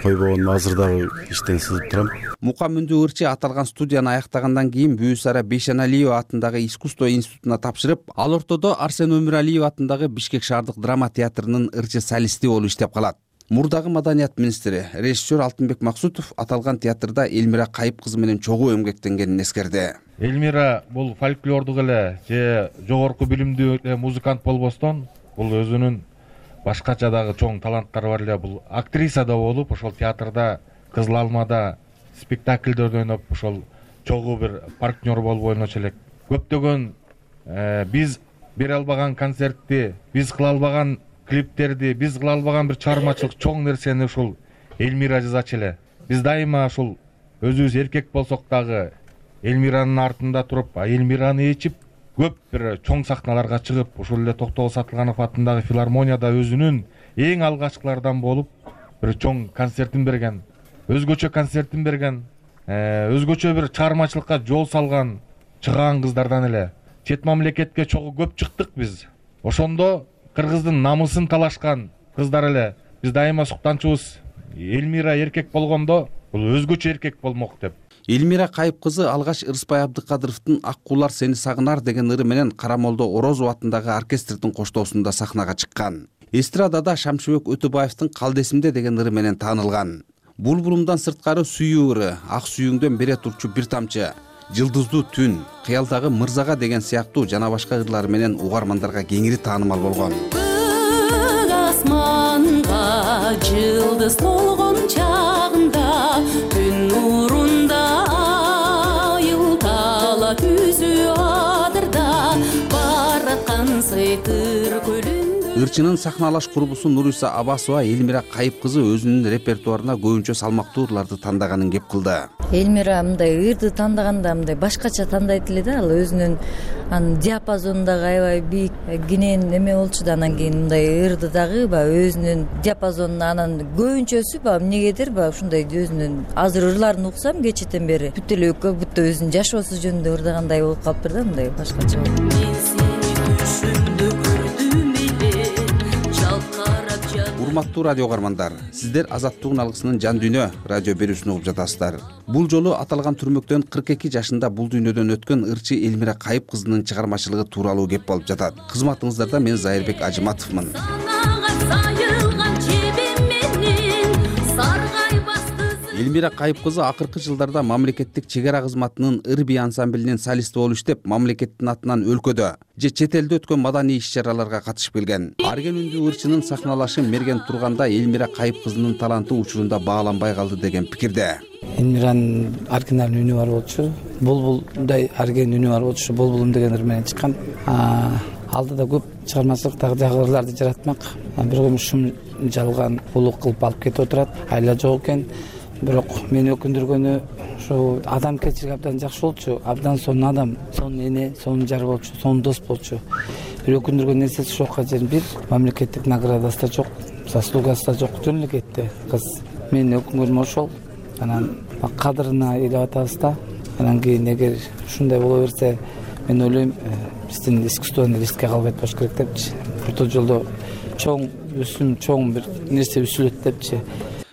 койбогонум азыр дагы иштен сызып турам. Мукамүндүү ырчы аталган студияны аяктагандан кийин Бүүсара Бейшеналиева атындагы искусство институтуна тапшырып, ал ортодо Арсен Өмүралиев атындагы Бишкек шаардык драма театрынын ырчы солисти болуп иштеп калат. Мурдагы маданият министри, режиссер Алтынбек Максутов аталган театрда Элмира Кайып кызы менен чогуу эмгектенгенин эскерди. Элмира бул фольклордук эле же жогорку билимдүү музыкант болбостон, бул өзүнүн башкача дагы чоң таланттары бар эле. Бул актриса да болуп, ошол театрда Кызыл Алмада спектакльдерди ойноп, ошол чогуу бир партнер болуп ойночу элек. Көптөгөн биз бере албаган концертти, биз кыла албаган клиптерди, биз кыла албаган бир чыгармачылык чоң нерсени ушул Элмира жазачу эле. Биз дайыма ушул өзүбүз эркек болсок дагы Элмиранын артында туруп, Элмираны ичип, көп бир чоң сахналарга чыгып, ушул эле Токтогул Сатылганов атындагы филармонияда өзүнүн эң алгачкылардан болуп, бир чоң концертин берген, өзгөчө концертин берген. өзгөчө бир чыгармачылыкка жол салган чыгаан кыздардан эле. Чет мамлекетке чогуу көп чыктык биз. Ошондо кыргыздын намысын талашкан кыздар эле. Биз дайыма суктанчубуз. Элмира эркек болгондо бул өзгөчө эркек болмок деп. Элмира Кайып кызы алгач Ырысбай Абдыкадыровдун Ак куулар сени сагынар деген ыры менен Карамолдо Орозов атындагы оркестрдин коштоосунда сахнага чыккан. Эстрадада Шамшыбек Өтөбаевдин Калдесимде деген ыры менен таанылган. Булбулумдан сырткары сүйүү ыры, Ак сүйүүңдөн бере турчу бир тамчы, Жылдыздуу түн, Кыялдагы мырзага деген сыяктуу жана башка ырлары менен угармандарга кеңири таанымал болгон. Асманга жылдыз толгон чагында түн нурунда айылтала түзү адырда бараткан сыйтыр көлүндө. Ырчынын сахналаш курбусу Нуриса Абасова Элмира Кайып кызы өзүнүн репертуарына көбүнчө салмактуу ырларды тандаганын кеп кылды. Элмира мындай ырды тандаганда мындай башкача тандайт эле да, ал өзүнүн анын диапазонундагы аябай бийик кенен эме болчу да, анан кийин мындай ырды дагы баягы өзүнүн диапазонуна анан көбүнчөсү баягы эмнегедир баягы ушундай өзүнүн азыр ырларын уксам кечээден бери бүт эле как будто өзүнүн жашоосу жөнүндө ырдагандай болуп калыптыр да, мындай башкача. Урматтуу радио угармандар, сиздер Азаттыктын алгысынын жан дүйнө радио берүүсүн угуп жатасыздар. Бул жолу аталган түрмөктөн 42 жашында бул дүйнөдөн өткөн ырчы Элмира Кайып кызынын чыгармачылыгы тууралуу кеп болуп жатат. Кызматыңыздарда мен Зайырбек Ажыматовмун. Элмира Кайып кызы акыркы жылдарда мамлекеттик чек ара кызматынын ыр-би ансамблинин солисти болуп иштеп, мамлекеттин атынан өлкөдө же чет элде өткөн маданий иш-чараларга катышып келген. Арген үндүү ырчынын сахналашы мерген турганда Элмира Кайып кызынын таланты учурунда бааланбай калды деген пикирде. Элмиранын оригиналдуу үнү бар болчу. Булбулдай арген үнү бар болчу. Булбулум деген ыр менен чыккан. Алдыда көп чыгармачылыктагы жагырларды жаратмак. Бир көмүш шум жалган улук кылып алып кетип отурат. Айла жок экен. Бирок мени өкүндүргөнү ошо адамгерчилиги абдан жакшы болчу. Абдан сонун адам, сонун эне, сонун жар болчу, сонун дос болчу. Бир өкүндүргөн нерсеси ошол жерин бир мамлекеттик наградасы да жок, заслугасы да жок, жөн эле кетти кыз. Менин өкүнгөнүм ошол. Анан кадырына ээлеп атабыз да. Анан кийин эгер ушундай боло берсе, мен ойлойм, биздин искусствону рискке калбайт болуш керек депчи. Орто жолдо чоң өсүм, чоң бир нерсе үзүлөт депчи.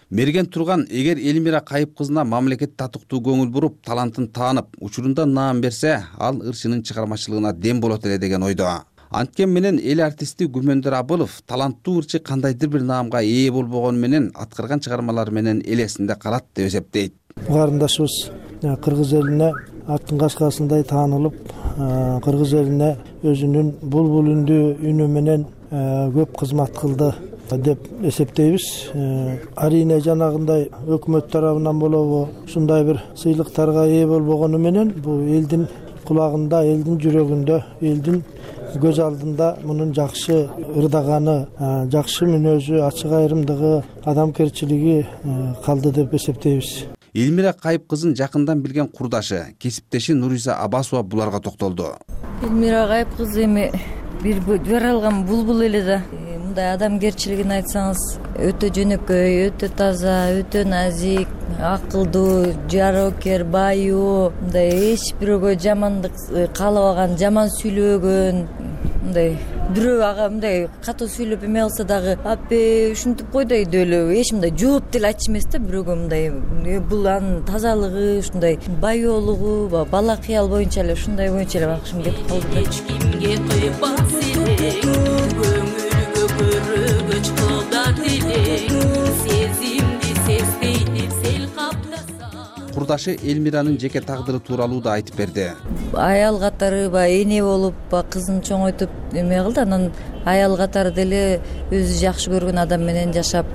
Мерген турган эгер Элмира Кайып кызына мамлекет татыктуу көңүл буруп, талантын таанып, учурунда наам берсе, ал ырчынын чыгармачылыгына дем болот эле деген ойдо. Анткен менен эл артисти Гүмөндөр Абылов таланттуу ырчы кандайдыр бир наамга ээ болбогону менен аткарган чыгармалары менен эл эсинде калат деп эсептейт. Каарындашыбыз кыргыз элине аттын кашкасындай таанылып, кыргыз элине өзүнүн булбул үндүү үнү менен көп кызмат кылды деп эсептейбиз. Арийне жанагындай өкмөт тарабынан болобу ушундай бир сыйлыктарга ээ болбогону менен бул элдин кулагында, элдин жүрөгүндө, элдин көз алдында мунун жакшы ырдаганы, жакшы мүнөзү, ачык айрымдыгы, адамгерчилиги калды деп эсептейбиз. Элмира Кайып кызын жакындан билген курдашы, кесиптеши Нуриса Абасова буларга токтолду. Элмира Кайып кызы эми бир жаралган булбул эле да. Мындай адамгерчилигин айтсаңыз, өтө жөнөкөй, өтө таза, өтө назик, акылдуу, жарокер, баюу, мындай эч бирөөгө жамандык каалабаган, жаман сүйлөбөгөн, мындай бирөө ага мындай катуу сүйлөп эме кылса дагы, апе ушинтип кой да деп эле эч мындай жооп деле айтчу эмес да бирөөгө. Мындай бул анын тазалыгы, ушундай баюулугу, бала кыял боюнча эле ушундай боюнча эле бакышым келип калды да. Эч кимге кыйбат силең, көңүлгө көрөгөч кылда тилең, сезимди сезбей деп сел каптаса. Курдашы Элмиранын жеке тагдыры тууралуу да айтып берди. Аял катары эне болуп, кызын чоңойтуп эме кылды. Анан аял катары деле өзү жакшы көргөн адам менен жашап,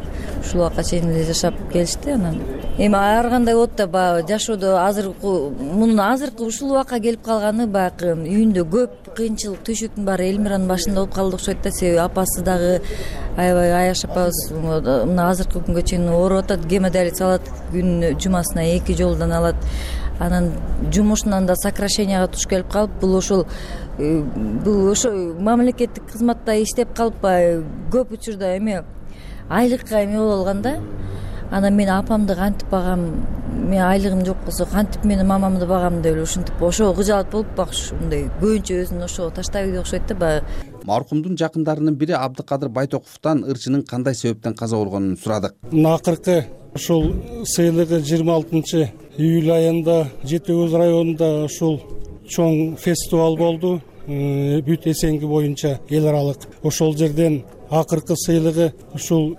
ушул убакка чейин эле жашап келишти. Анан эми ар кандай болот да баягы жашоодо мунун азыркы ушул убакка келип калганы баягы үйүндө көп кыйынчылык, түйшүктүн баары Элмиранын башында болуп калды окшойт да. Себеби апасы дагы аябай Аяш апабыз мына азыркы күнгө чейин ооруп атат, гемодиализ алат, күнүнө жумасына 2 жолдон алат. Анан жумушунан да сокращенияга туш келип калып, бул ошо мамлекеттик кызматта иштеп калып көп учурда эме айлыкка эме болуп алган да. Анан мен апамды кантип багам, мен айлыгым жок болсо кантип менин мамамды багам деп эле ушинтип ошого кыжаат болуп мындай көбүнчө өзүн ошого таштап ийди окшойт да баягы. Маркумдун жакындарынын бири Абдыкадыр Байтоковдон ырчынын кандай себептен каза болгонун сурадык. Акыркы ушул сыйлыгы 26 июль айында Жети Көз районунда ушул чоң фестиваль болду. Бүт Эсенги боюнча эл аралык. Ошол жерден акыркы сыйлыгы ушул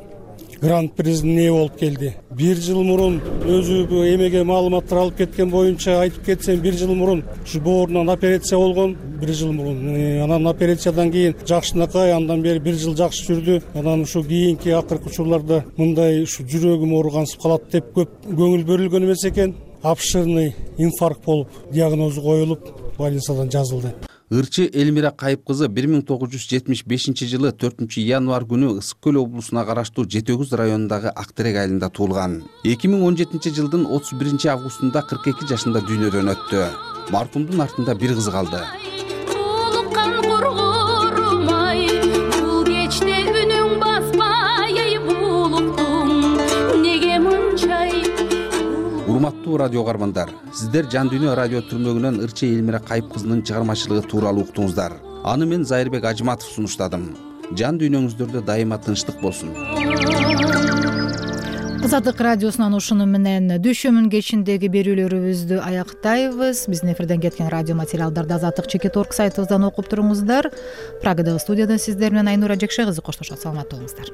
гран-призине ээ болуп келди. 1 жыл мурун өзү эмеге маалыматтар алып кеткен боюнча айтып кетсем, 1 жыл мурун ушу боорунан операция болгон. 1 жыл мурун. Анан операциядан кийин жакшынакай, андан бери 1 жыл жакшы жүрдү. Анан ушу кийинки акыркы учурларда мындай ушу жүрөгүм ооругансып калат деп көп көңүл бөлүнгөн эмес экен. Обширный инфаркт болуп диагнозу коюлуп, больницадан жазылды. Ырчы Элмира Кайып кызы 1975 жылы 4 январь күнү Ысык Көл облусуна караштуу Жети Көз районундагы Актырек айылында туулган. 2017 жылдын 31 августунда 42 жашында дүйнөдөн өттү. Маркумдун артында бир кызы калды. Урматтуу радио угармандар, сиздер Жан Дүйнө радио түрмөгүнөн Ырчы Элмира Кайып кызынын чыгармачылыгы тууралуу уктуңуздар. Аны мен Зайырбек Ажыматов сунуштадым. Жан дүйнөңүздөрдө дайыма тынчтык болсун. Азаттык радиосунан ушуну менен дүйшөмүн кечиндеги берүүлөрүбүздү аяктайбыз. Биздин эфирден кеткен радио материалдарды Азаттык.org сайтыбыздан окуп туруңуздар. Прагадагы студиядан сиздер менен Айнура Жекше кызы коштошот. Саламатта болуңуздар.